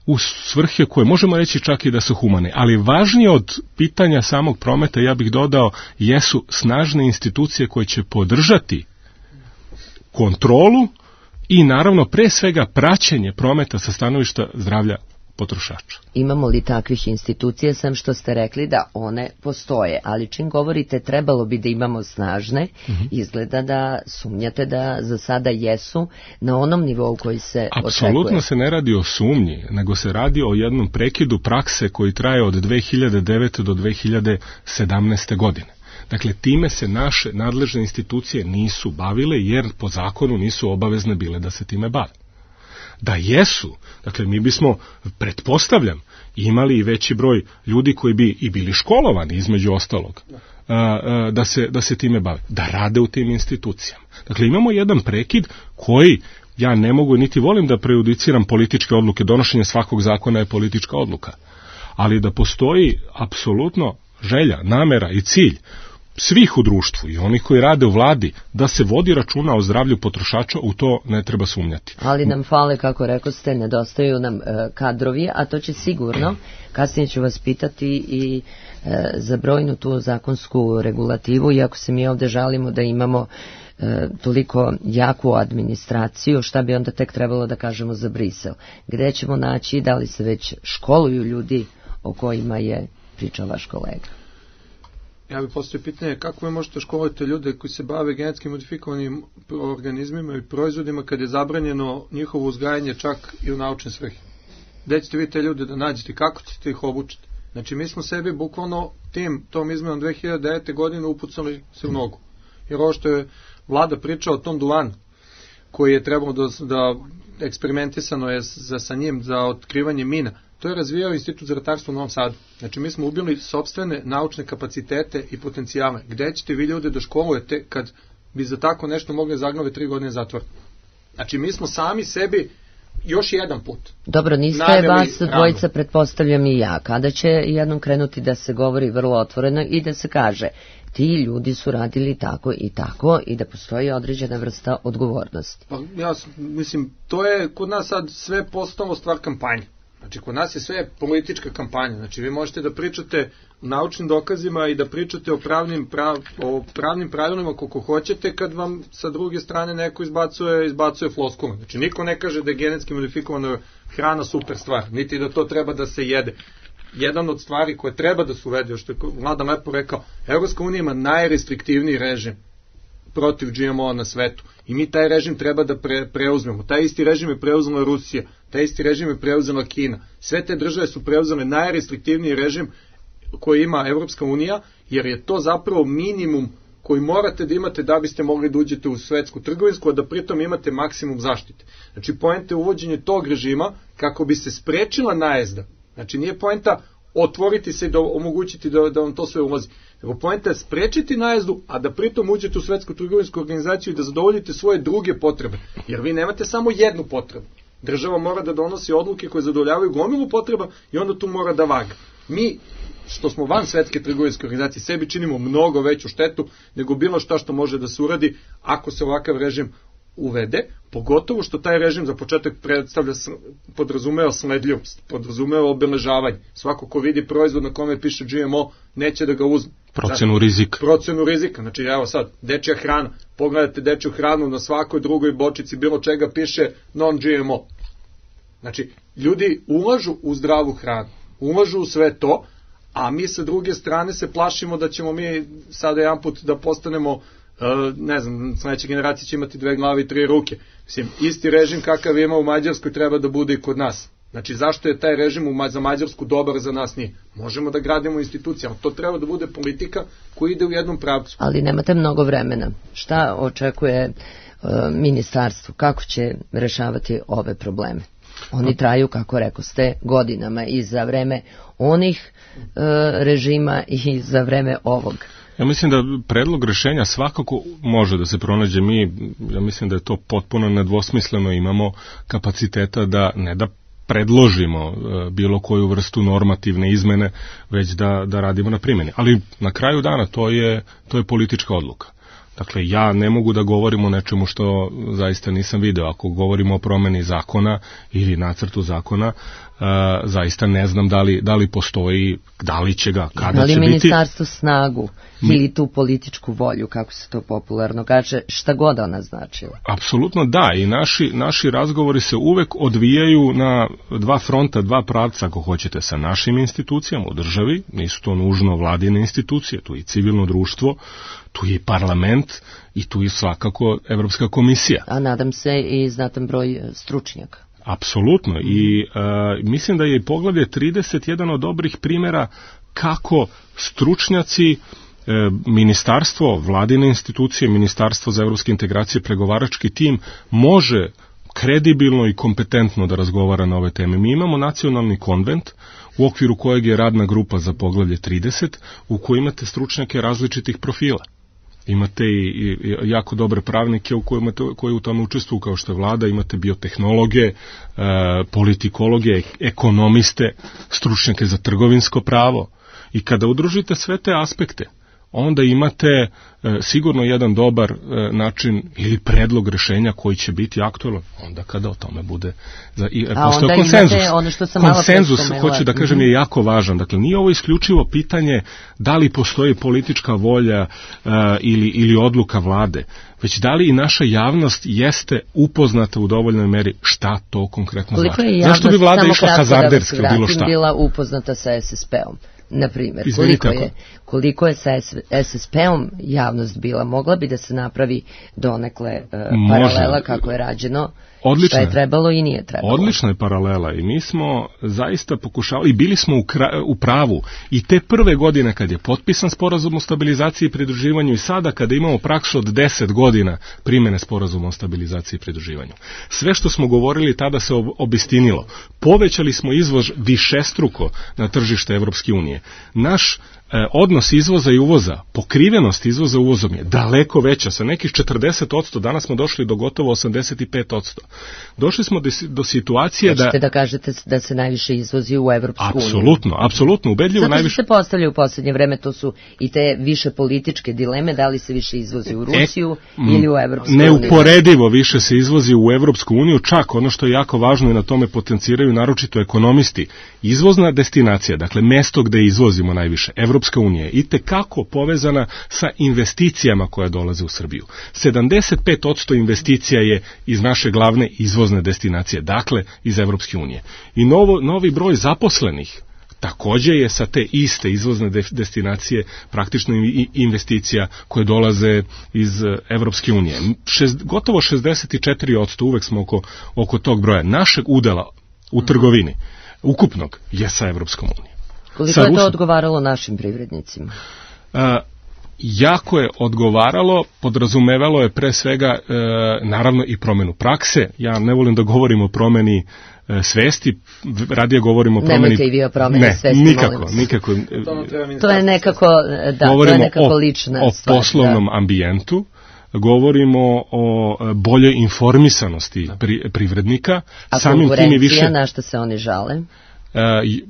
u svrhe koje možemo reći čak i da su humane. Ali važnije od pitanja samog prometa, ja bih dodao, jesu snažne institucije koje će podržati kontrolu i naravno pre svega praćenje prometa sa stanovišta zdravlja potrošača. Imamo li takvih institucija, sem što ste rekli da one postoje, ali čim govorite trebalo bi da imamo snažne, mm-hmm. izgleda da sumnjate da za sada jesu na onom nivou koji se Apsolutno očekuje. Apsolutno se ne radi o sumnji, nego se radi o jednom prekidu prakse koji traje od dve hiljade devete do dve hiljade sedamnaeste godine. Dakle, time se naše nadležne institucije nisu bavile jer po zakonu nisu obavezne bile da se time bave. Da jesu, dakle mi bismo, pretpostavljam, imali i veći broj ljudi koji bi i bili školovani između ostalog, da se, da se time bave, da rade u tim institucijama. Dakle, imamo jedan prekid koji, ja ne mogu niti volim da prejudiciram političke odluke, donošenje svakog zakona je politička odluka, ali da postoji apsolutno želja, namera i cilj svih u društvu i onih koji rade u vladi da se vodi računa o zdravlju potrošača, u to ne treba sumnjati. Ali nam fale, kako rekoste, nedostaju nam e, kadrovi, a to će sigurno, kasnije ću vas pitati i e, za brojnu tu zakonsku regulativu, iako se mi ovde žalimo da imamo e, toliko jaku administraciju, šta bi onda tek trebalo da kažemo za Brisel? Gde ćemo naći, da li se već školuju ljudi o kojima je pričao vaš kolega? Ja bih postavio pitanje kako vi možete školovati ljude koji se bave genetski modifikovanim organizmima i proizvodima kad je zabranjeno njihovo uzgajanje čak i u naučne svrhe. Gde ćete vi te ljude da nađete, kako ćete ih obučiti? Znači mi smo sebi bukvalno tim, tom izmenom dve hiljade devete godine upucali se u nogu. Jer ovo što je vlada pričala o tom duvanu koji je trebalo da, da eksperimentisano je za, sa njim za otkrivanje mina, to je razvijao Institut za ratarstvo u Novom Sadu. Znači, mi smo ubili sopstvene naučne kapacitete i potencijale. Gde ćete vi ljude da školujete kad bi za tako nešto mogli zagnove tri godine zatvora? Znači, mi smo sami sebi još jedan put. Dobro, niste vas dvojica, pretpostavljam i ja. Kada će jednom krenuti da se govori vrlo otvoreno i da se kaže ti ljudi su radili tako i tako i da postoji određena vrsta odgovornosti? Pa, ja mislim, to je kod nas sad sve postalo stvar kampanje. Znači, kod nas je sve politička kampanja. Znači, vi možete da pričate o naučnim dokazima i da pričate o pravnim, prav, o pravnim pravilima koliko hoćete, kad vam sa druge strane neko izbacuje, izbacuje floskule. Znači, niko ne kaže da je genetski modifikovana hrana super stvar, niti da to treba da se jede. Jedan od stvari koje treba da se uvede, što je Vlada lepo rekao, Evropska unija ima najrestriktivniji režim protiv G M O na svetu. I mi taj režim treba da pre, preuzmemo. Taj isti režim je preuzela Rusija, taj isti režim je preuzela Kina. Sve te države su preuzele najrestriktivniji režim koji ima Evropska unija, jer je to zapravo minimum koji morate da imate da biste mogli da uđete u svetsku trgovinsku, a da pritom imate maksimum zaštite. Znači, poenta je uvođenje tog režima kako bi se sprečila najezda. Znači, nije poenta otvoriti se i da omogućiti da, da vam to sve ulazi. Nego poenta je sprečiti najezdu, a da pritom uđete u svetsku trgovinsku organizaciju i da zadovoljite svoje druge potrebe. Jer vi nemate samo jednu potrebu. Država mora da donosi odluke koje zadovoljavaju gomilu potreba i onda tu mora da vaga. Mi, što smo van svetske trgovinske organizacije, sebi činimo mnogo veću štetu nego bilo šta što može da se uradi ako se ovakav režim uvede, pogotovo što taj režim za početak predstavlja, podrazumeva sledljivost, podrazumeva obeležavanje. Svako ko vidi proizvod na kome piše G M O, neće da ga uzme. Procenu rizika. Procenu rizika, znači evo sad, dečja hrana, pogledajte dečju hranu na svakoj drugoj bočici, bilo čega piše non G M O. Znači, ljudi ulažu u zdravu hranu, ulažu u sve to, a mi sa druge strane se plašimo da ćemo mi sada jedan put da postanemo, ne znam, sledeća generacija će imati dve glave i tri ruke. Mislim, isti režim kakav ima u Mađarskoj treba da bude i kod nas. Znači, zašto je taj režim za Mađarsku dobar, za nas nije? Možemo da gradimo institucije, ali to treba da bude politika koja ide u jednom pravcu. Ali nemate mnogo vremena. Šta očekuje uh, ministarstvo? Kako će rešavati ove probleme? Oni traju, kako rekao ste, godinama i za vreme onih uh, režima i za vreme ovog. Ja mislim da predlog rešenja svakako može da se pronađe. Mi, ja mislim da je to potpuno nedvosmisleno, imamo kapaciteta da ne da predložimo bilo koju vrstu normativne izmene, već da, da radimo na primjeni. Ali na kraju dana to je, to je politička odluka. Dakle, ja ne mogu da govorim o nečemu što zaista nisam video. Ako govorimo o promeni zakona ili nacrtu zakona, uh, zaista ne znam da li, da li postoji, da li će ga, kada će biti. Ali ministarstvo snagu ili tu političku volju, kako se to popularno kaže, šta god ona značila? Apsolutno da, i naši, naši razgovori se uvek odvijaju na dva fronta, dva pravca, ako hoćete, sa našim institucijama u državi, nisu to nužno vladine institucije, tu je i civilno društvo, tu je i parlament i tu je svakako Evropska komisija. A nadam se i znatan broj stručnjaka. Apsolutno, i uh, mislim da je i poglavlje trideset jedan od dobrih primjera kako stručnjaci, ministarstvo, vladine institucije, ministarstvo za evropske integracije, pregovarački tim može kredibilno i kompetentno da razgovara na ove teme. Mi imamo nacionalni konvent u okviru kojeg je radna grupa za poglavlje trideset, u kojoj imate stručnjake različitih profila. Imate i, i jako dobre pravnike u kojima to, koji u tome učestvuju, kao što je vlada, imate biotehnologe, e, politikologe, ekonomiste, stručnjake za trgovinsko pravo. I kada udružite sve te aspekte, onda imate e, sigurno jedan dobar e, način ili predlog rešenja koji će biti aktualan onda kada o tome bude. Za, i, A onda konsenzus. Imate ono što sam malo konsenzus, hoću da kažem, je jako važan. Dakle, nije ovo isključivo pitanje da li postoji politička volja e, ili, ili odluka vlade, već da li i naša javnost jeste upoznata u dovoljnoj meri šta to konkretno Koliko znači. Je javnost, zašto bi vlada išla hazarderski u bilo šta? Bila upoznata sa S S P-om? Na primjer, koliko je, koliko je sa S S P-om javnost bila, mogla bi da se napravi donekle uh, paralela kako je rađeno, odlična, šta je trebalo i nije trebalo. Odlična je paralela i mi smo zaista pokušali i bili smo u, kra, u pravu i te prve godine kad je potpisan sporazum o stabilizaciji i pridruživanju i sada kada imamo praksu od deset godina primjene sporazuma o stabilizaciji i pridruživanju. Sve što smo govorili tada se obistinilo. Povećali smo izvoz višestruko na tržište Evropske unije. Naš odnos izvoza i uvoza, pokrivenost izvoza uvozom je daleko veća, sa nekih četrdeset posto, danas smo došli do gotovo osamdeset pet posto. Došli smo do, do situacije da... Hoćete da kažete da se najviše izvozi u Evropsku uniju? Apsolutno, apsolutno, ubedljivo najviše... najviše... Zato se postavlja u poslednje vreme, to su i te više političke dileme, da li se više izvozi u Rusiju e, ili u Evropsku uniju? Neuporedivo više se izvozi u Evropsku uniju, čak ono što je jako važno i na tome potenciraju naročito ekonomisti. Izvozna destinacija, dakle mesto gde izvozimo najviše, Evropska unija je itekako povezana sa investicijama koje dolaze u Srbiju. sedamdeset pet posto investicija je iz naše glavne izvozne destinacije, dakle iz Evropske unije. I novo, novi broj zaposlenih takođe je sa te iste izvozne destinacije praktično investicija koje dolaze iz Evropske unije. Šest, gotovo šezdeset četiri posto, uvek smo oko, oko tog broja. Našeg udela u trgovini, ukupnog, je sa Evropskom unijom. Koliko je to odgovaralo našim privrednicima? A, jako je odgovaralo, podrazumevalo je pre svega e, naravno i promenu prakse. Ja ne volim da govorim o promeni e, svesti, radije govorim o promeni... Nemojte i vi o promeni ne, svesti, nikako, nikako. To je nekako, da, to je nekako lična o, stvar. O poslovnom da. ambijentu, govorimo o boljoj informisanosti pri, privrednika. A samim konkurencija, više... na što se oni žale? E,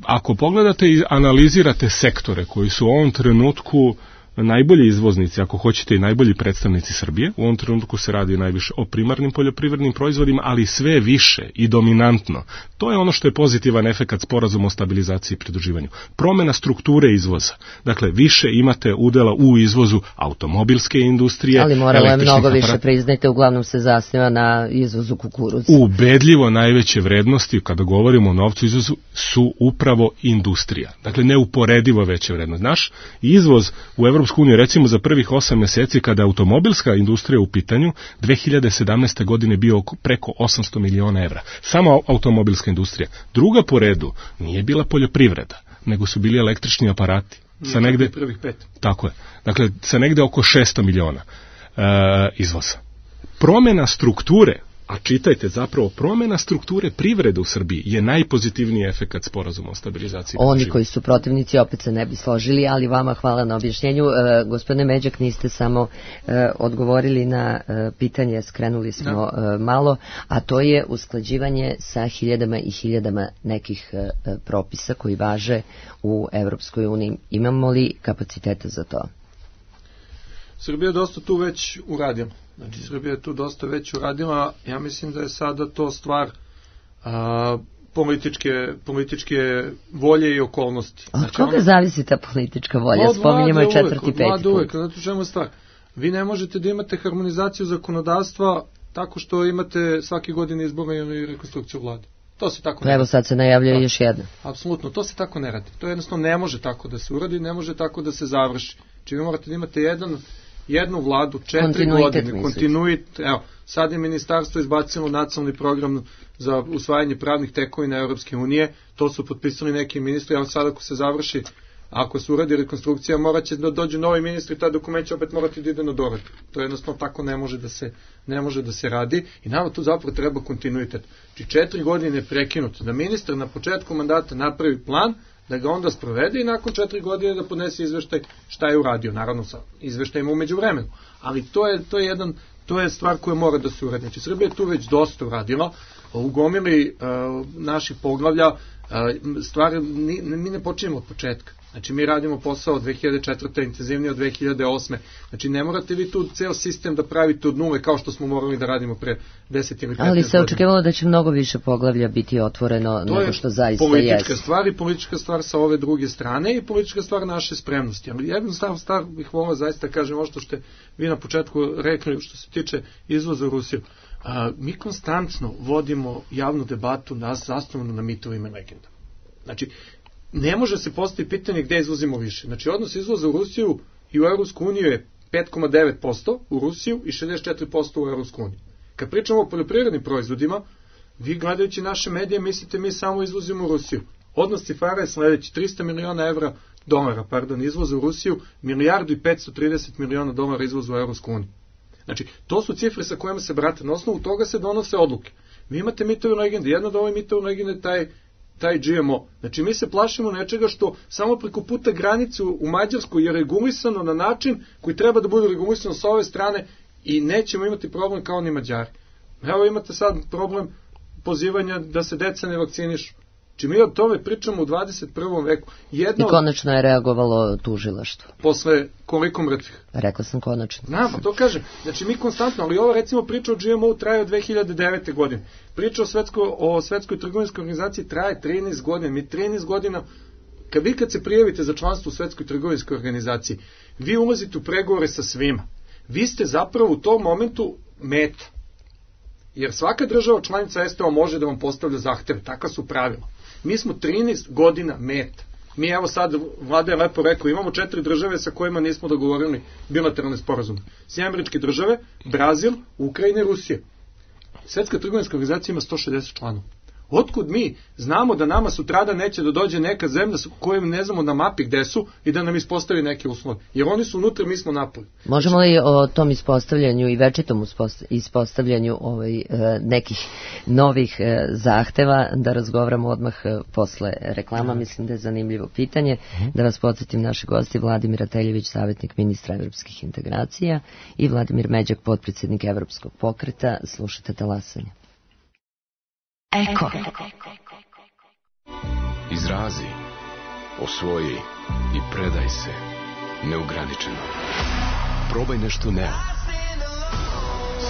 ako pogledate i analizirate sektore koji su u ovom trenutku najbolji izvoznici, ako hoćete i najbolji predstavnici Srbije. U ovom trenutku se radi najviše o primarnim poljoprivrednim proizvodima, ali sve više i dominantno. To je ono što je pozitivan efekat sporazuma o stabilizaciji i pridruživanju. Promena strukture izvoza. Dakle, više imate udela u izvozu automobilske industrije. Ali moralo je mnogo aparat... više, priznajte, uglavnom se zasniva na izvozu kukuruza. Ubedljivo najveće vrednosti, kada govorimo o novcu izvozu, su upravo industrija. Dakle, neuporedivo veća vrednost. Naš izvoz u Evropsku uniju, recimo za prvih osam meseci, kada automobilska industrija u pitanju, dve hiljade sedamnaeste. godine bio preko osamsto miliona evra. Samo automobilska industrija. Druga po redu nije bila poljoprivreda, nego su bili električni aparati. Sa negde, prvih pet. Tako je. Dakle, sa negde oko šesto miliona e, izvoza. Promena strukture, a čitajte zapravo, promena strukture privrede u Srbiji je najpozitivniji efekat sporazuma o stabilizaciji. Oni koji su protivnici opet se ne bi složili, ali vama hvala na objašnjenju. E, gospodine Međak, niste samo e, odgovorili na e, pitanje, skrenuli smo e, malo, a to je usklađivanje sa hiljadama i hiljadama nekih e, propisa koji važe u Evropskoj uniji. Imamo li kapaciteta za to? Srbija je dosta tu već uradila. Znači, Srbija je tu dosta već uradila. Ja mislim da je sada to stvar a, političke, političke volje i okolnosti. Od znači, koga ona, zavisi ta politička volja? Spominjamo je četvrti, peti put. Uvek, znate u čemu stvar? Vi ne možete da imate harmonizaciju zakonodavstva tako što imate svake godine izbore i rekonstrukciju vlade. To se tako ne Evo sad se najavljaju još jedna. Apsolutno, to se tako ne radi. To jednostavno ne može tako da se uradi, ne može tako da se završi. Znači vi morate da imate jedan, jednu vladu, četiri godine, kontinuitet. Evo, sad je ministarstvo izbacilo nacionalni program za usvajanje pravnih tekovina Europske unije, to su potpisali neki ministri, a sad ako se završi, ako se uradi rekonstrukcija, morat će da dođu novi ministri, ta dokument će opet morati da ide na doradu. To jednostavno tako ne može da se, ne može da se radi i nama tu zapravo treba kontinuitet. Znači četiri godine je prekinuto, da ministar na početku mandata napravi plan, da ga onda sprovede i nakon četiri godine da podnese izveštaj šta je uradio, naravno sa izveštajima umeđu vremenu. Ali to je, to je, jedan, to je stvar koja mora da se uradi. Znači Srbija je tu već dosta uradila, u gomili uh, naših poglavlja, uh, stvari, ni, mi ne počinjemo od početka. Znači mi radimo posao od dve hiljade četvrte intenzivnije od dve hiljade osme. Znači ne morate vi tu ceo sistem da pravite od nule kao što smo morali da radimo pre deset ili petnaest godina. Ali se očekivalo da će mnogo više poglavlja biti otvoreno to nego što zaista jeste. To je politička jest. stvar i politička stvar sa ove druge strane i politička stvar naše spremnosti. Ali jednu stav, stav bih volao zaista kažem ovo što ste vi na početku rekli što se tiče izvoza u Rusiju. A, mi konstantno vodimo javnu debatu nas zasnovanu na mitovima i legendama. Znači, ne može se postaviti pitanje gde izvozimo više. Znači, odnos izvoza u Rusiju i u Evropsku uniju je pet zarez devet posto u Rusiju i šezdeset četiri posto u Evropsku uniju. Kad pričamo o poljoprivrednim proizvodima, vi gledajući naše medije mislite mi samo izvozimo u Rusiju. Odnos cifara je sledeći, trista miliona evra, dolara, pardon, izvoza u Rusiju, milijardu i petsto trideset miliona dolara izvoza u Evropsku uniju. Znači, to su cifre sa kojima se brate. Na osnovu toga se donose odluke. Vi imate mitove legende. Jedna od ove mitove legende je taj, taj G M O. Znači, mi se plašimo nečega što samo preko puta granicu u Mađarskoj je regulisano na način koji treba da bude regulisano sa ove strane i nećemo imati problem kao ni Mađari. Evo imate sad problem pozivanja da se deca ne vakcinišu. Znači, mi o tome pričamo u dvadeset prvom veku. Jedno I konačno je reagovalo tužilaštvo. Posle koliko mrtvih? Rekla sam konačno. Na, pa to kažem. Znači, mi konstantno, ali ova recimo priča o G M O traje od dve hiljade devete. godine. Priča o, svetsko, o svetskoj trgovinskoj organizaciji traje trinaest godina. Mi trinaest godina, kad vi kad se prijavite za članstvo u svetskoj trgovinskoj organizaciji, vi ulazite u pregovore sa svima. Vi ste zapravo u tom momentu meta. Jer svaka država članica S T O može da vam postavlja zahteve. Takva su pravila. Mi smo trinaest godina meta. Mi evo sad, vlada je lepo rekao, imamo četiri države sa kojima nismo dogovorili bilateralne sporazume. Sjedinjene Američke Države, Brazil, Ukrajina i Rusija. Svetska trgovinska organizacija ima sto šezdeset članova. Otkud mi znamo da nama sutrada neće da dođe neka zemlja kojom ne znamo na mapi gde su i da nam ispostavi neke uslove. Jer oni su unutra, mi smo napolje. Možemo li o tom ispostavljanju i večitom ispostavljanju ovaj, nekih novih zahteva da razgovaramo odmah posle reklama? Mislim da je zanimljivo pitanje. Da vas podsjetim, naši gosti Vladimir Ateljević, savjetnik ministra evropskih integracija i Vladimir Međak, potpredsjednik Evropskog pokreta. Slušajte Talasanje. Eko. Izrazi, osvoji i predaj se. neograničeno. Probaj nešto Neo.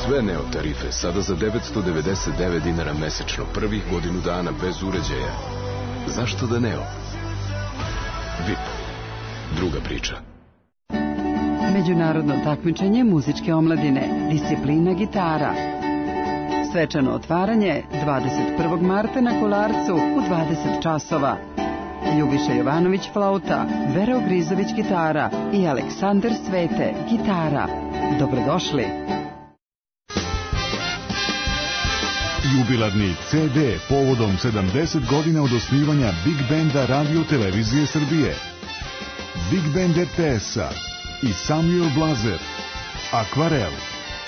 Sve Neo tarife sada za devetsto devedeset devet dinara mesečno, prvih godinu dana bez uređaja. Zašto da Neo? V I P. Druga priča. Međunarodno takmičenje muzičke omladine, disciplina gitara. Svečano otvaranje dvadeset prvog marta na Kolarcu u dvadeset časova. Ljubiša Jovanović flauta, Vera Ogrizović gitara i Aleksandar Svete gitara. Dobrodošli. Jubilarni ce de povodom sedamdeset godina od osnivanja Big Banda Radio Televizije Srbije. Big Band er te es-a i Samuel Blazer. Akvarel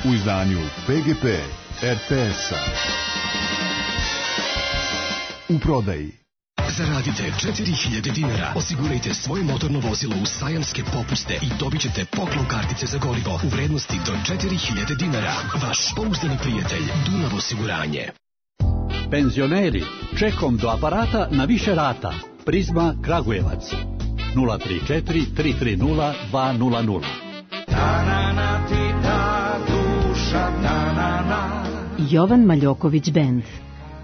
u izdanju pe ge pe er te es-a. U prodaji. Zaradite četiri hiljade dinara, osigurajte svoje motorno vozilo u sajamske popuste i dobit ćete poklon kartice za gorivo u vrednosti do četiri hiljade dinara. Vaš pouzdani prijatelj Dunav osiguranje. Penzioneri, čekom do aparata na više rata. Prizma Kragujevac. nula tri četiri tri tri nula dva nula nula. Jovan Maljoković Band.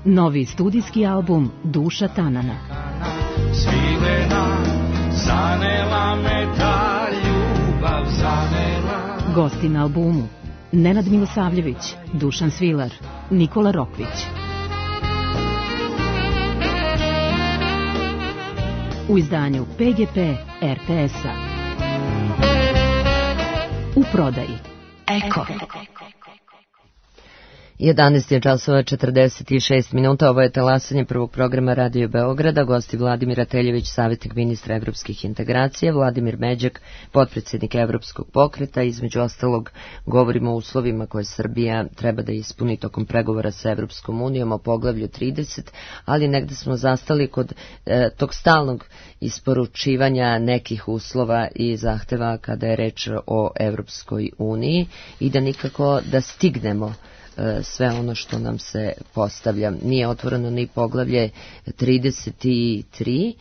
Novi studijski album Duša Tanana. Svilena, zanela me ta ljubav, zanela. Gosti na albumu: Nenad Milosavljević, Dušan Svilar, Nikola Rokvić. U izdanju pe ge pe er te es-a. U prodaji. Eko. jedanaest je časova četrdeset šest minuta, ovo je talasanje prvog programa Radio Beograda, gosti Vladimir Ateljević, savjetnik ministra evropskih integracija, Vladimir Međak, potpredsjednik Evropskog pokreta. Između ostalog govorimo o uslovima koje Srbija treba da ispuni tokom pregovora sa Evropskom unijom o poglavlju trideset, ali negde smo zastali kod e, tog stalnog isporučivanja nekih uslova i zahteva kada je reč o Evropskoj uniji i da nikako da stignemo sve ono što nam se postavlja. Nije otvoreno ni poglavlje trideset tri,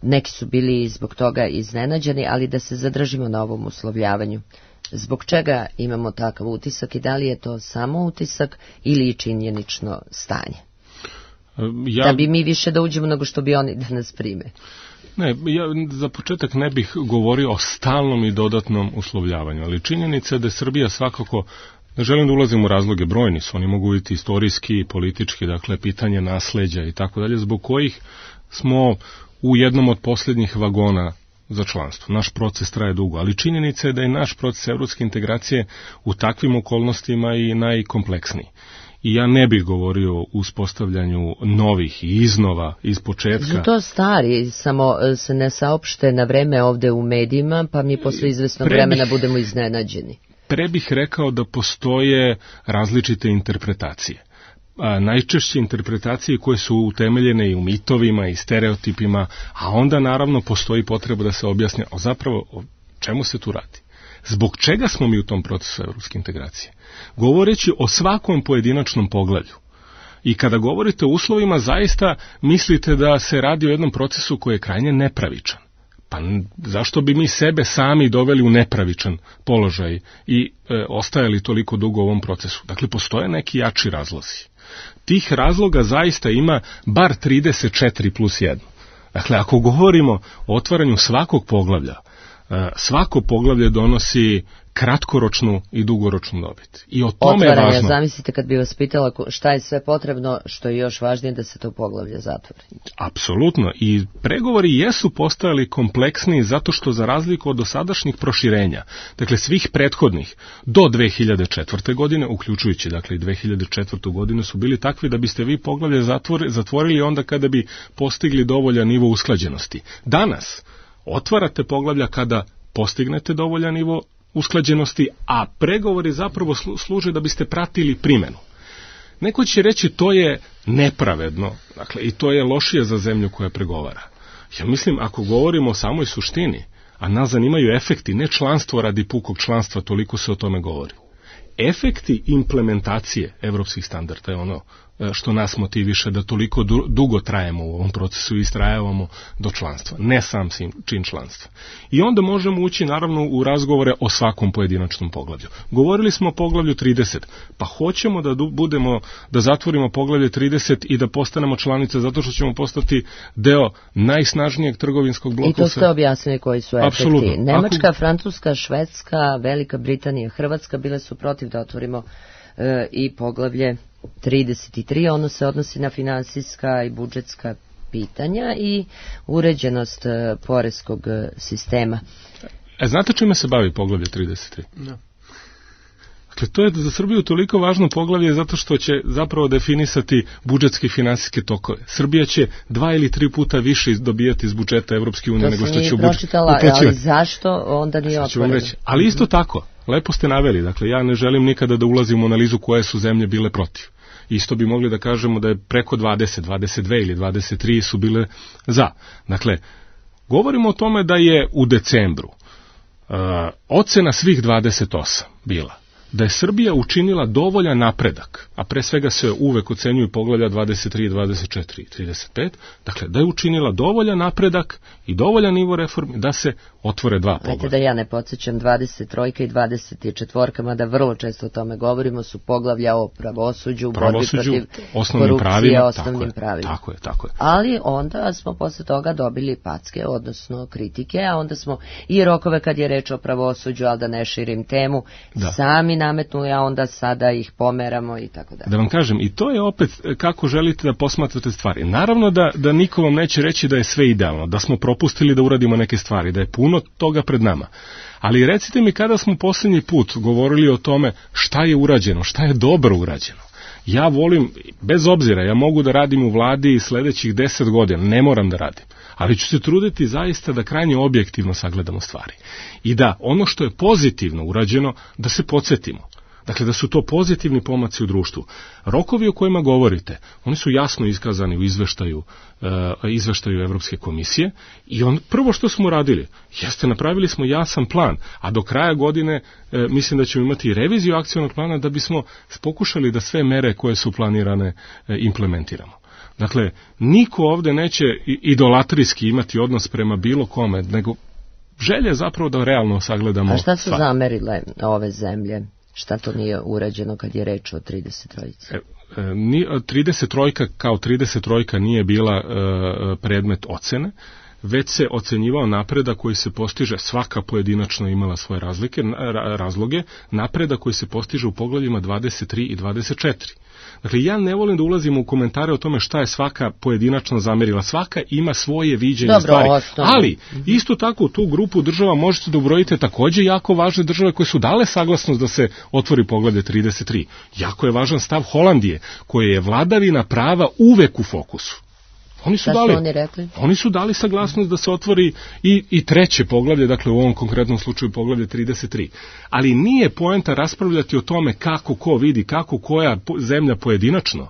neki su bili zbog toga iznenađeni, ali da se zadržimo na ovom uslovljavanju. Zbog čega imamo takav utisak i da li je to samo utisak ili činjenično stanje? Ja... Da bi mi više da uđemo nego što bi oni da nas prime. Ne, ja za početak ne bih govorio o stalnom i dodatnom uslovljavanju, ali činjenica je da je Srbija svakako. Ne želim da ulazim u razloge, brojni su, oni mogu biti istorijski, politički, dakle, pitanje nasleđa i tako dalje, zbog kojih smo u jednom od posljednjih vagona za članstvo. Naš proces traje dugo, ali činjenica je da je naš proces evropske integracije u takvim okolnostima i najkompleksniji. I ja ne bih govorio o uspostavljanju novih i iznova iz početka. Su to stari, samo se ne saopšte na vreme ovde u medijima, pa mi posle izvesnog vremena bih... budemo iznenađeni. Pre bih rekao da postoje različite interpretacije. A, najčešće interpretacije koje su utemeljene i u mitovima i stereotipima, a onda naravno postoji potreba da se objasni o zapravo o čemu se tu radi. Zbog čega smo mi u tom procesu evropske integracije? Govoreći o svakom pojedinačnom poglavlju. I kada govorite o uslovima, zaista mislite da se radi o jednom procesu koji je krajnje nepravičan. Pa zašto bi mi sebe sami doveli u nepravičan položaj i e, ostajali toliko dugo u ovom procesu? Dakle, postoje neki jači razlozi. Tih razloga zaista ima bar trideset četiri plus jedan. Dakle, ako govorimo o otvaranju svakog poglavlja, e, svako poglavlje donosi kratkoročnu i dugoročnu dobit. I o tome Otvaranje, je važno. Zamislite kad bi vas pitala šta je sve potrebno, što je još važnije da se to poglavlje zatvori. Apsolutno. I pregovori jesu postajali kompleksniji zato što za razliku od dosadašnjih proširenja, dakle svih prethodnih do dve hiljade četvrte. godine, uključujući dakle i dve hiljade četvrtu. godinu, su bili takvi da biste vi poglavlje zatvori, zatvorili onda kada bi postigli dovoljan nivo usklađenosti. Danas otvarate poglavlja kada postignete dovoljan nivo usklađenosti, a pregovori zapravo služe da biste pratili primjenu. Neko će reći to je nepravedno, dakle, i to je lošije za zemlju koja pregovara. Ja mislim, ako govorimo o samoj suštini, a nas zanimaju efekti, ne članstvo radi pukog članstva, toliko se o tome govori. Efekti implementacije evropskih standarda je ono što nas motiviše da toliko dugo trajemo u ovom procesu i istrajavamo do članstva, ne sam čin članstva. I onda možemo ući naravno u razgovore o svakom pojedinačnom poglavlju. Govorili smo o poglavlju trideset, pa hoćemo da budemo, da zatvorimo poglavlje trideset i da postanemo članica zato što ćemo postati deo najsnažnijeg trgovinskog bloka. I to ste objasnili koji su efekti. Apsolutno. Nemačka, Ako... Francuska, Švedska, Velika Britanija, Hrvatska bile su protiv da otvorimo e, i poglavlje trideset tri, ono se odnosi na finansijska i budžetska pitanja i uređenost e, poreskog e, sistema. E, znate čime se bavi poglavlje trideset tri? No. Dakle, to je za Srbiju toliko važno poglavlje zato što će zapravo definisati budžetske i finansijske tokove. Srbija će dva ili tri puta više dobijati iz budžeta Evropske unije nego što će u budžet uplaćivati. Ali zašto onda nije otvoreno? Ali isto tako, lepo ste naveli, dakle ja ne želim nikada da ulazim u analizu koje su zemlje bile protiv. Isto bi mogli da kažemo da je preko dvadeset, dvadeset dve ili dvadeset tri su bile za. Dakle, govorimo o tome da je u decembru uh, ocena svih dvadeset osam bila da je Srbija učinila dovoljan napredak, a pre svega se uvek ocenjuju poglavlja dvadeset tri, dvadeset četiri i trideset pet, dakle da je učinila dovoljan napredak i dovoljan nivo reformi da se otvore dva poglavlja. Ajte da ja ne podsjećam, dvadeset tri i dvadeset četiri, mada vrlo često o tome govorimo, su poglavlja o pravosuđu, pravosuđu borbi protiv osnovnim korupcije, pravima, osnovnim tako pravima. Je, tako je, tako je. Ali onda smo posle toga dobili packe, odnosno kritike, a onda smo i rokove kad je reč o pravosuđu, ali da ne širim temu, da. sami nametnuli, a onda sada ih pomeramo i tako dalje. Da vam kažem, i to je opet kako želite da posmatrate stvari. Naravno da, da niko vam neće reći da je sve idealno, da smo propustili da uradimo neke stvari, da je puno toga pred nama. Ali recite mi kada smo posljednji put govorili o tome šta je urađeno, šta je dobro urađeno. Ja volim, bez obzira, ja mogu da radim u vladi i sledećih deset godina, ne moram da radim. Ali ću se truditi zaista da krajnje objektivno sagledamo stvari. I da ono što je pozitivno urađeno, da se podsjetimo. Dakle, da su to pozitivni pomaci u društvu. Rokovi o kojima govorite, oni su jasno iskazani u izveštaju, uh, izveštaju Evropske komisije i on, prvo što smo radili, jeste napravili smo jasan plan, a do kraja godine uh, mislim da ćemo imati reviziju akcionog plana da bismo pokušali da sve mere koje su planirane uh, implementiramo. Dakle, niko ovde neće idolatrijski imati odnos prema bilo kome, nego želje zapravo da realno sagledamo. A šta su stvar. zamerile ove zemlje? Šta to nije urađeno kad je reč o trideset tri? E, e, trideset tri kao trideset tri nije bila e, predmet ocene, već se ocenjivao napredak koji se postiže, svaka pojedinačno imala svoje razlike, razloge, napredak koji se postiže u poglavljima dvadeset tri i dvadeset četiri. Dakle, ja ne volim da ulazim u komentare o tome šta je svaka pojedinačno zamerila. Svaka ima svoje viđenje Dobro, stvari. Osnovno. Ali, isto tako u tu grupu država možete da ubrojite takođe jako važne države koje su dale saglasnost da se otvori poglavlje trideset tri. Jako je važan stav Holandije, koje je vladavina prava uvek u fokusu. Oni su, dali, oni, rekli? oni su dali saglasnost da se otvori i, i treće poglavlje, dakle u ovom konkretnom slučaju poglavlje trideset tri. Ali nije poenta raspravljati o tome kako ko vidi, kako koja zemlja pojedinačno,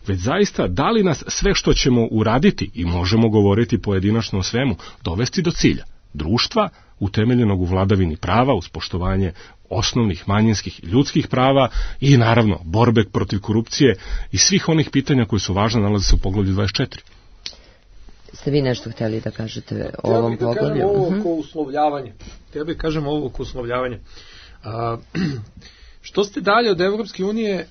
već zaista da li nas sve što ćemo uraditi, i možemo govoriti pojedinačno o svemu, dovesti do cilja društva utemeljenog u vladavini prava, uz poštovanje osnovnih manjinskih i ljudskih prava i naravno borbe protiv korupcije i svih onih pitanja koji su važne nalaze se u poglavlju dvadeset četiri. Ste vi nešto htjeli da kažete o ovom poglavlju? Ja bih da kažem ovo oko uslovljavanja. Ja bih kažem ovo oko uslovljavanja. A, što ste dalje od Evropske unije,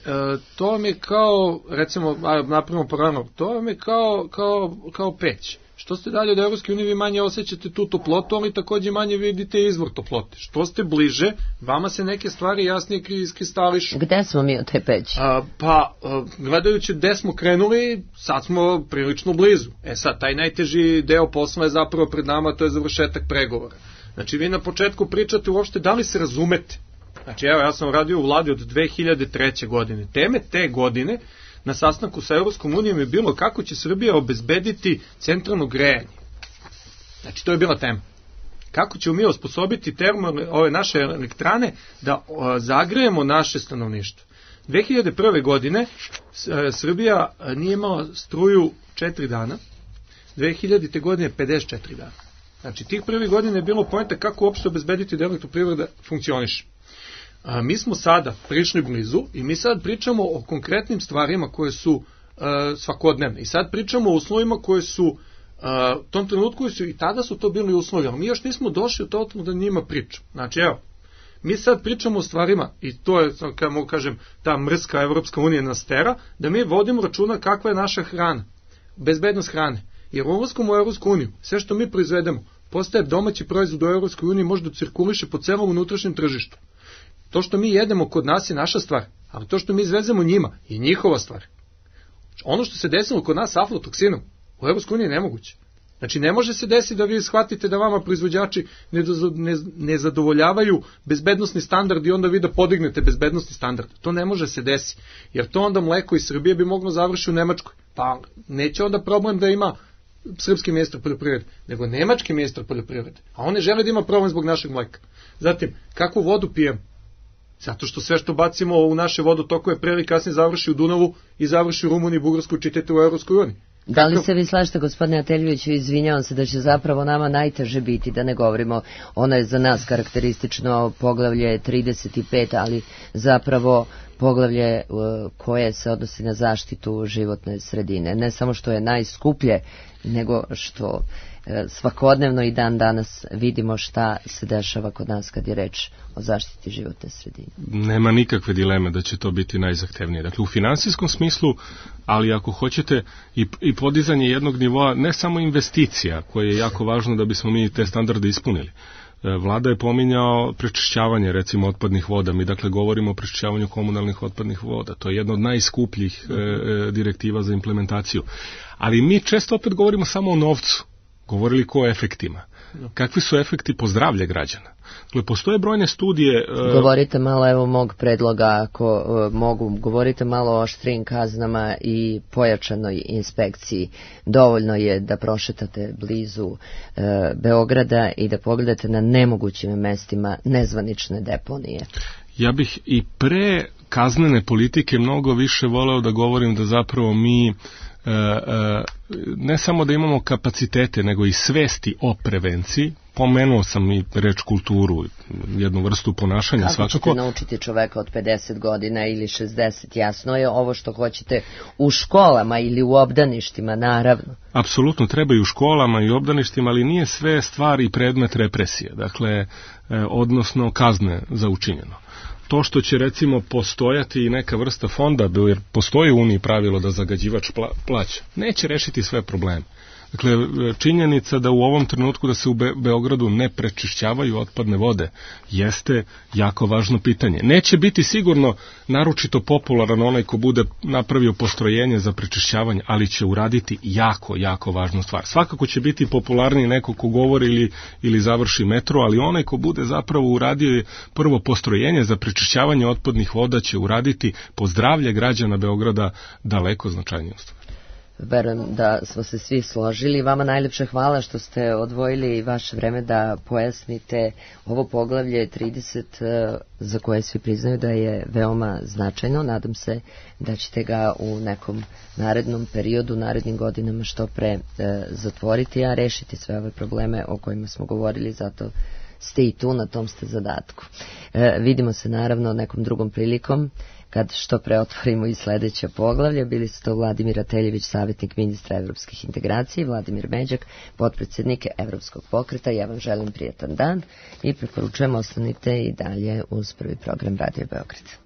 to vam je kao, recimo, napravimo program, to vam je kao, kao, kao peć. Što ste dalje od Evropske unije, vi manje osjećate tu toplotu, ali takođe manje vidite izvor toplote. Što ste bliže, vama se neke stvari jasnije iskristališu. Gde smo mi od te peći? A, pa, a, gledajući gde smo krenuli, sad smo prilično blizu. E sad, taj najteži deo posla je zapravo pred nama, to je završetak pregovora. Znači, vi na početku pričate uopšte da li se razumete. Znači, evo, ja sam radio u vladi od dve hiljade treće. godine. Teme te godine na sastanku sa Evropskom unijom je bilo kako će Srbija obezbediti centralno grejanje. Znači, to je bila tema. Kako ćemo mi osposobiti termo, ove naše elektrane da o, zagrejemo naše stanovništvo. dve hiljade prve. godine s, Srbija nije imala struju četiri dana, dve hiljadite. godine pedeset četiri dana. Znači, tih prvih godina je bilo poenta kako uopšte obezbediti da elektroprivreda funkcioniše. A, mi smo sada prišli blizu i mi sad pričamo o konkretnim stvarima koje su a, svakodnevne. I sad pričamo o uslovima koje su a, u tom trenutku su i tada su to bili uslovi, ali mi još nismo došli u to da njima pričamo. Znači, evo, mi sad pričamo o stvarima, i to je, kada mogu kažem, ta mrska Evropska unija nas tera, da mi vodimo računa kakva je naša hrana, bezbednost hrane. Jer ulaskom u Evropsku uniju, sve što mi proizvedemo, postaje domaći proizvod u Evropskoj uniji, može da cirkuliše po celom unutrašnjem tržištu. To što mi jedemo kod nas je naša stvar, ali to što mi izvezemo njima je njihova stvar. Ono što se desilo kod nas s aflatoksinom, u Evropskoj uniji je nemoguće. Znači, ne može se desiti da vi shvatite da vama proizvođači ne, ne, ne zadovoljavaju bezbednosni standard i onda vi da podignete bezbednosni standard. To ne može se desiti, jer to onda mleko iz Srbije bi moglo završiti u Nemačkoj. Pa neće onda problem da ima srpski ministar poljoprivrede, nego nemački ministar poljoprivrede. A on ne žele da ima problem zbog našeg mleka. Zatim, kakvu vodu pijemo? Zato što sve što bacimo u naše vodotokove pre ili kasnije završi u Dunavu i završi u Rumuniji, Bugarskoj, čitajte u Evropskoj uniji. Da li se vi slažete, gospodine Ateljeviću, izvinjavam se da će zapravo nama najteže biti, da ne govorimo, ono je za nas karakteristično poglavlje trideset pet, ali zapravo poglavlje koje se odnosi na zaštitu životne sredine. Ne samo što je najskuplje, nego što svakodnevno i dan danas vidimo šta se dešava kod nas kad je reč o zaštiti životne sredine. Nema nikakve dileme da će to biti najzahtevnije. Dakle, u finansijskom smislu, ali ako hoćete i, i podizanje jednog nivoa, ne samo investicija, koje je jako važno da bismo mi te standarde ispunili. Vlada je pominjao prečišćavanje, recimo, otpadnih voda. Mi, dakle, govorimo o prečišćavanju komunalnih otpadnih voda. To je jedna od najskupljih e, direktiva za implementaciju. Ali mi često opet govorimo samo o novcu. Govorili ko o efektima. Kakvi su efekti po zdravlje građana? Dakle, postoje brojne studije... Uh... Govorite malo, evo, mog predloga, ako uh, mogu, govorite malo o oštrijim kaznama i pojačanoj inspekciji. Dovoljno je da prošetate blizu uh, Beograda i da pogledate na nemogućim mestima nezvanične deponije. Ja bih i pre kaznene politike mnogo više voleo da govorim da zapravo mi E, e, ne samo da imamo kapacitete, nego i svesti o prevenciji. Pomenuo sam i reč kulturu, jednu vrstu ponašanja. Kako svakako. Ćete naučiti čoveka od pedeset godina ili šezdeset? Jasno je ovo što hoćete u školama ili u obdaništima, naravno. Apsolutno, treba i u školama i u obdaništima, ali nije sve stvar i predmet represije, dakle, e, odnosno kazne za učinjeno. To što će, recimo, postojati i neka vrsta fonda, jer postoji u Uniji pravilo da zagađivač plaća, neće rešiti sve probleme. Dakle, činjenica da u ovom trenutku da se u Be- Beogradu ne prečišćavaju otpadne vode jeste jako važno pitanje. Neće biti sigurno naročito popularan onaj ko bude napravio postrojenje za prečišćavanje, ali će uraditi jako, jako važnu stvar. Svakako će biti popularniji neko ko govori ili, ili završi metro, ali onaj ko bude zapravo uradio prvo postrojenje za prečišćavanje otpadnih voda će uraditi po zdravlje građana Beograda daleko značajniju stvar. Verujem da smo se svi složili. Vama najlepše hvala što ste odvojili vaše vreme da pojasnite ovo poglavlje trideset za koje svi priznaju da je veoma značajno. Nadam se da ćete ga u nekom narednom periodu, narednim godinama što pre e, zatvoriti, a rešiti sve ove probleme o kojima smo govorili, zato ste i tu, na tom ste zadatku. E, vidimo se naravno nekom drugom prilikom kad što pre otvorimo i sledeće poglavlje. Bili su to Vladimir Ateljević, savjetnik ministra evropskih integracija, i Vladimir Međak, potpredsednik Evropskog pokreta. Ja vam želim prijetan dan i preporučujem ostanite i dalje uz prvi program Radio Beograd.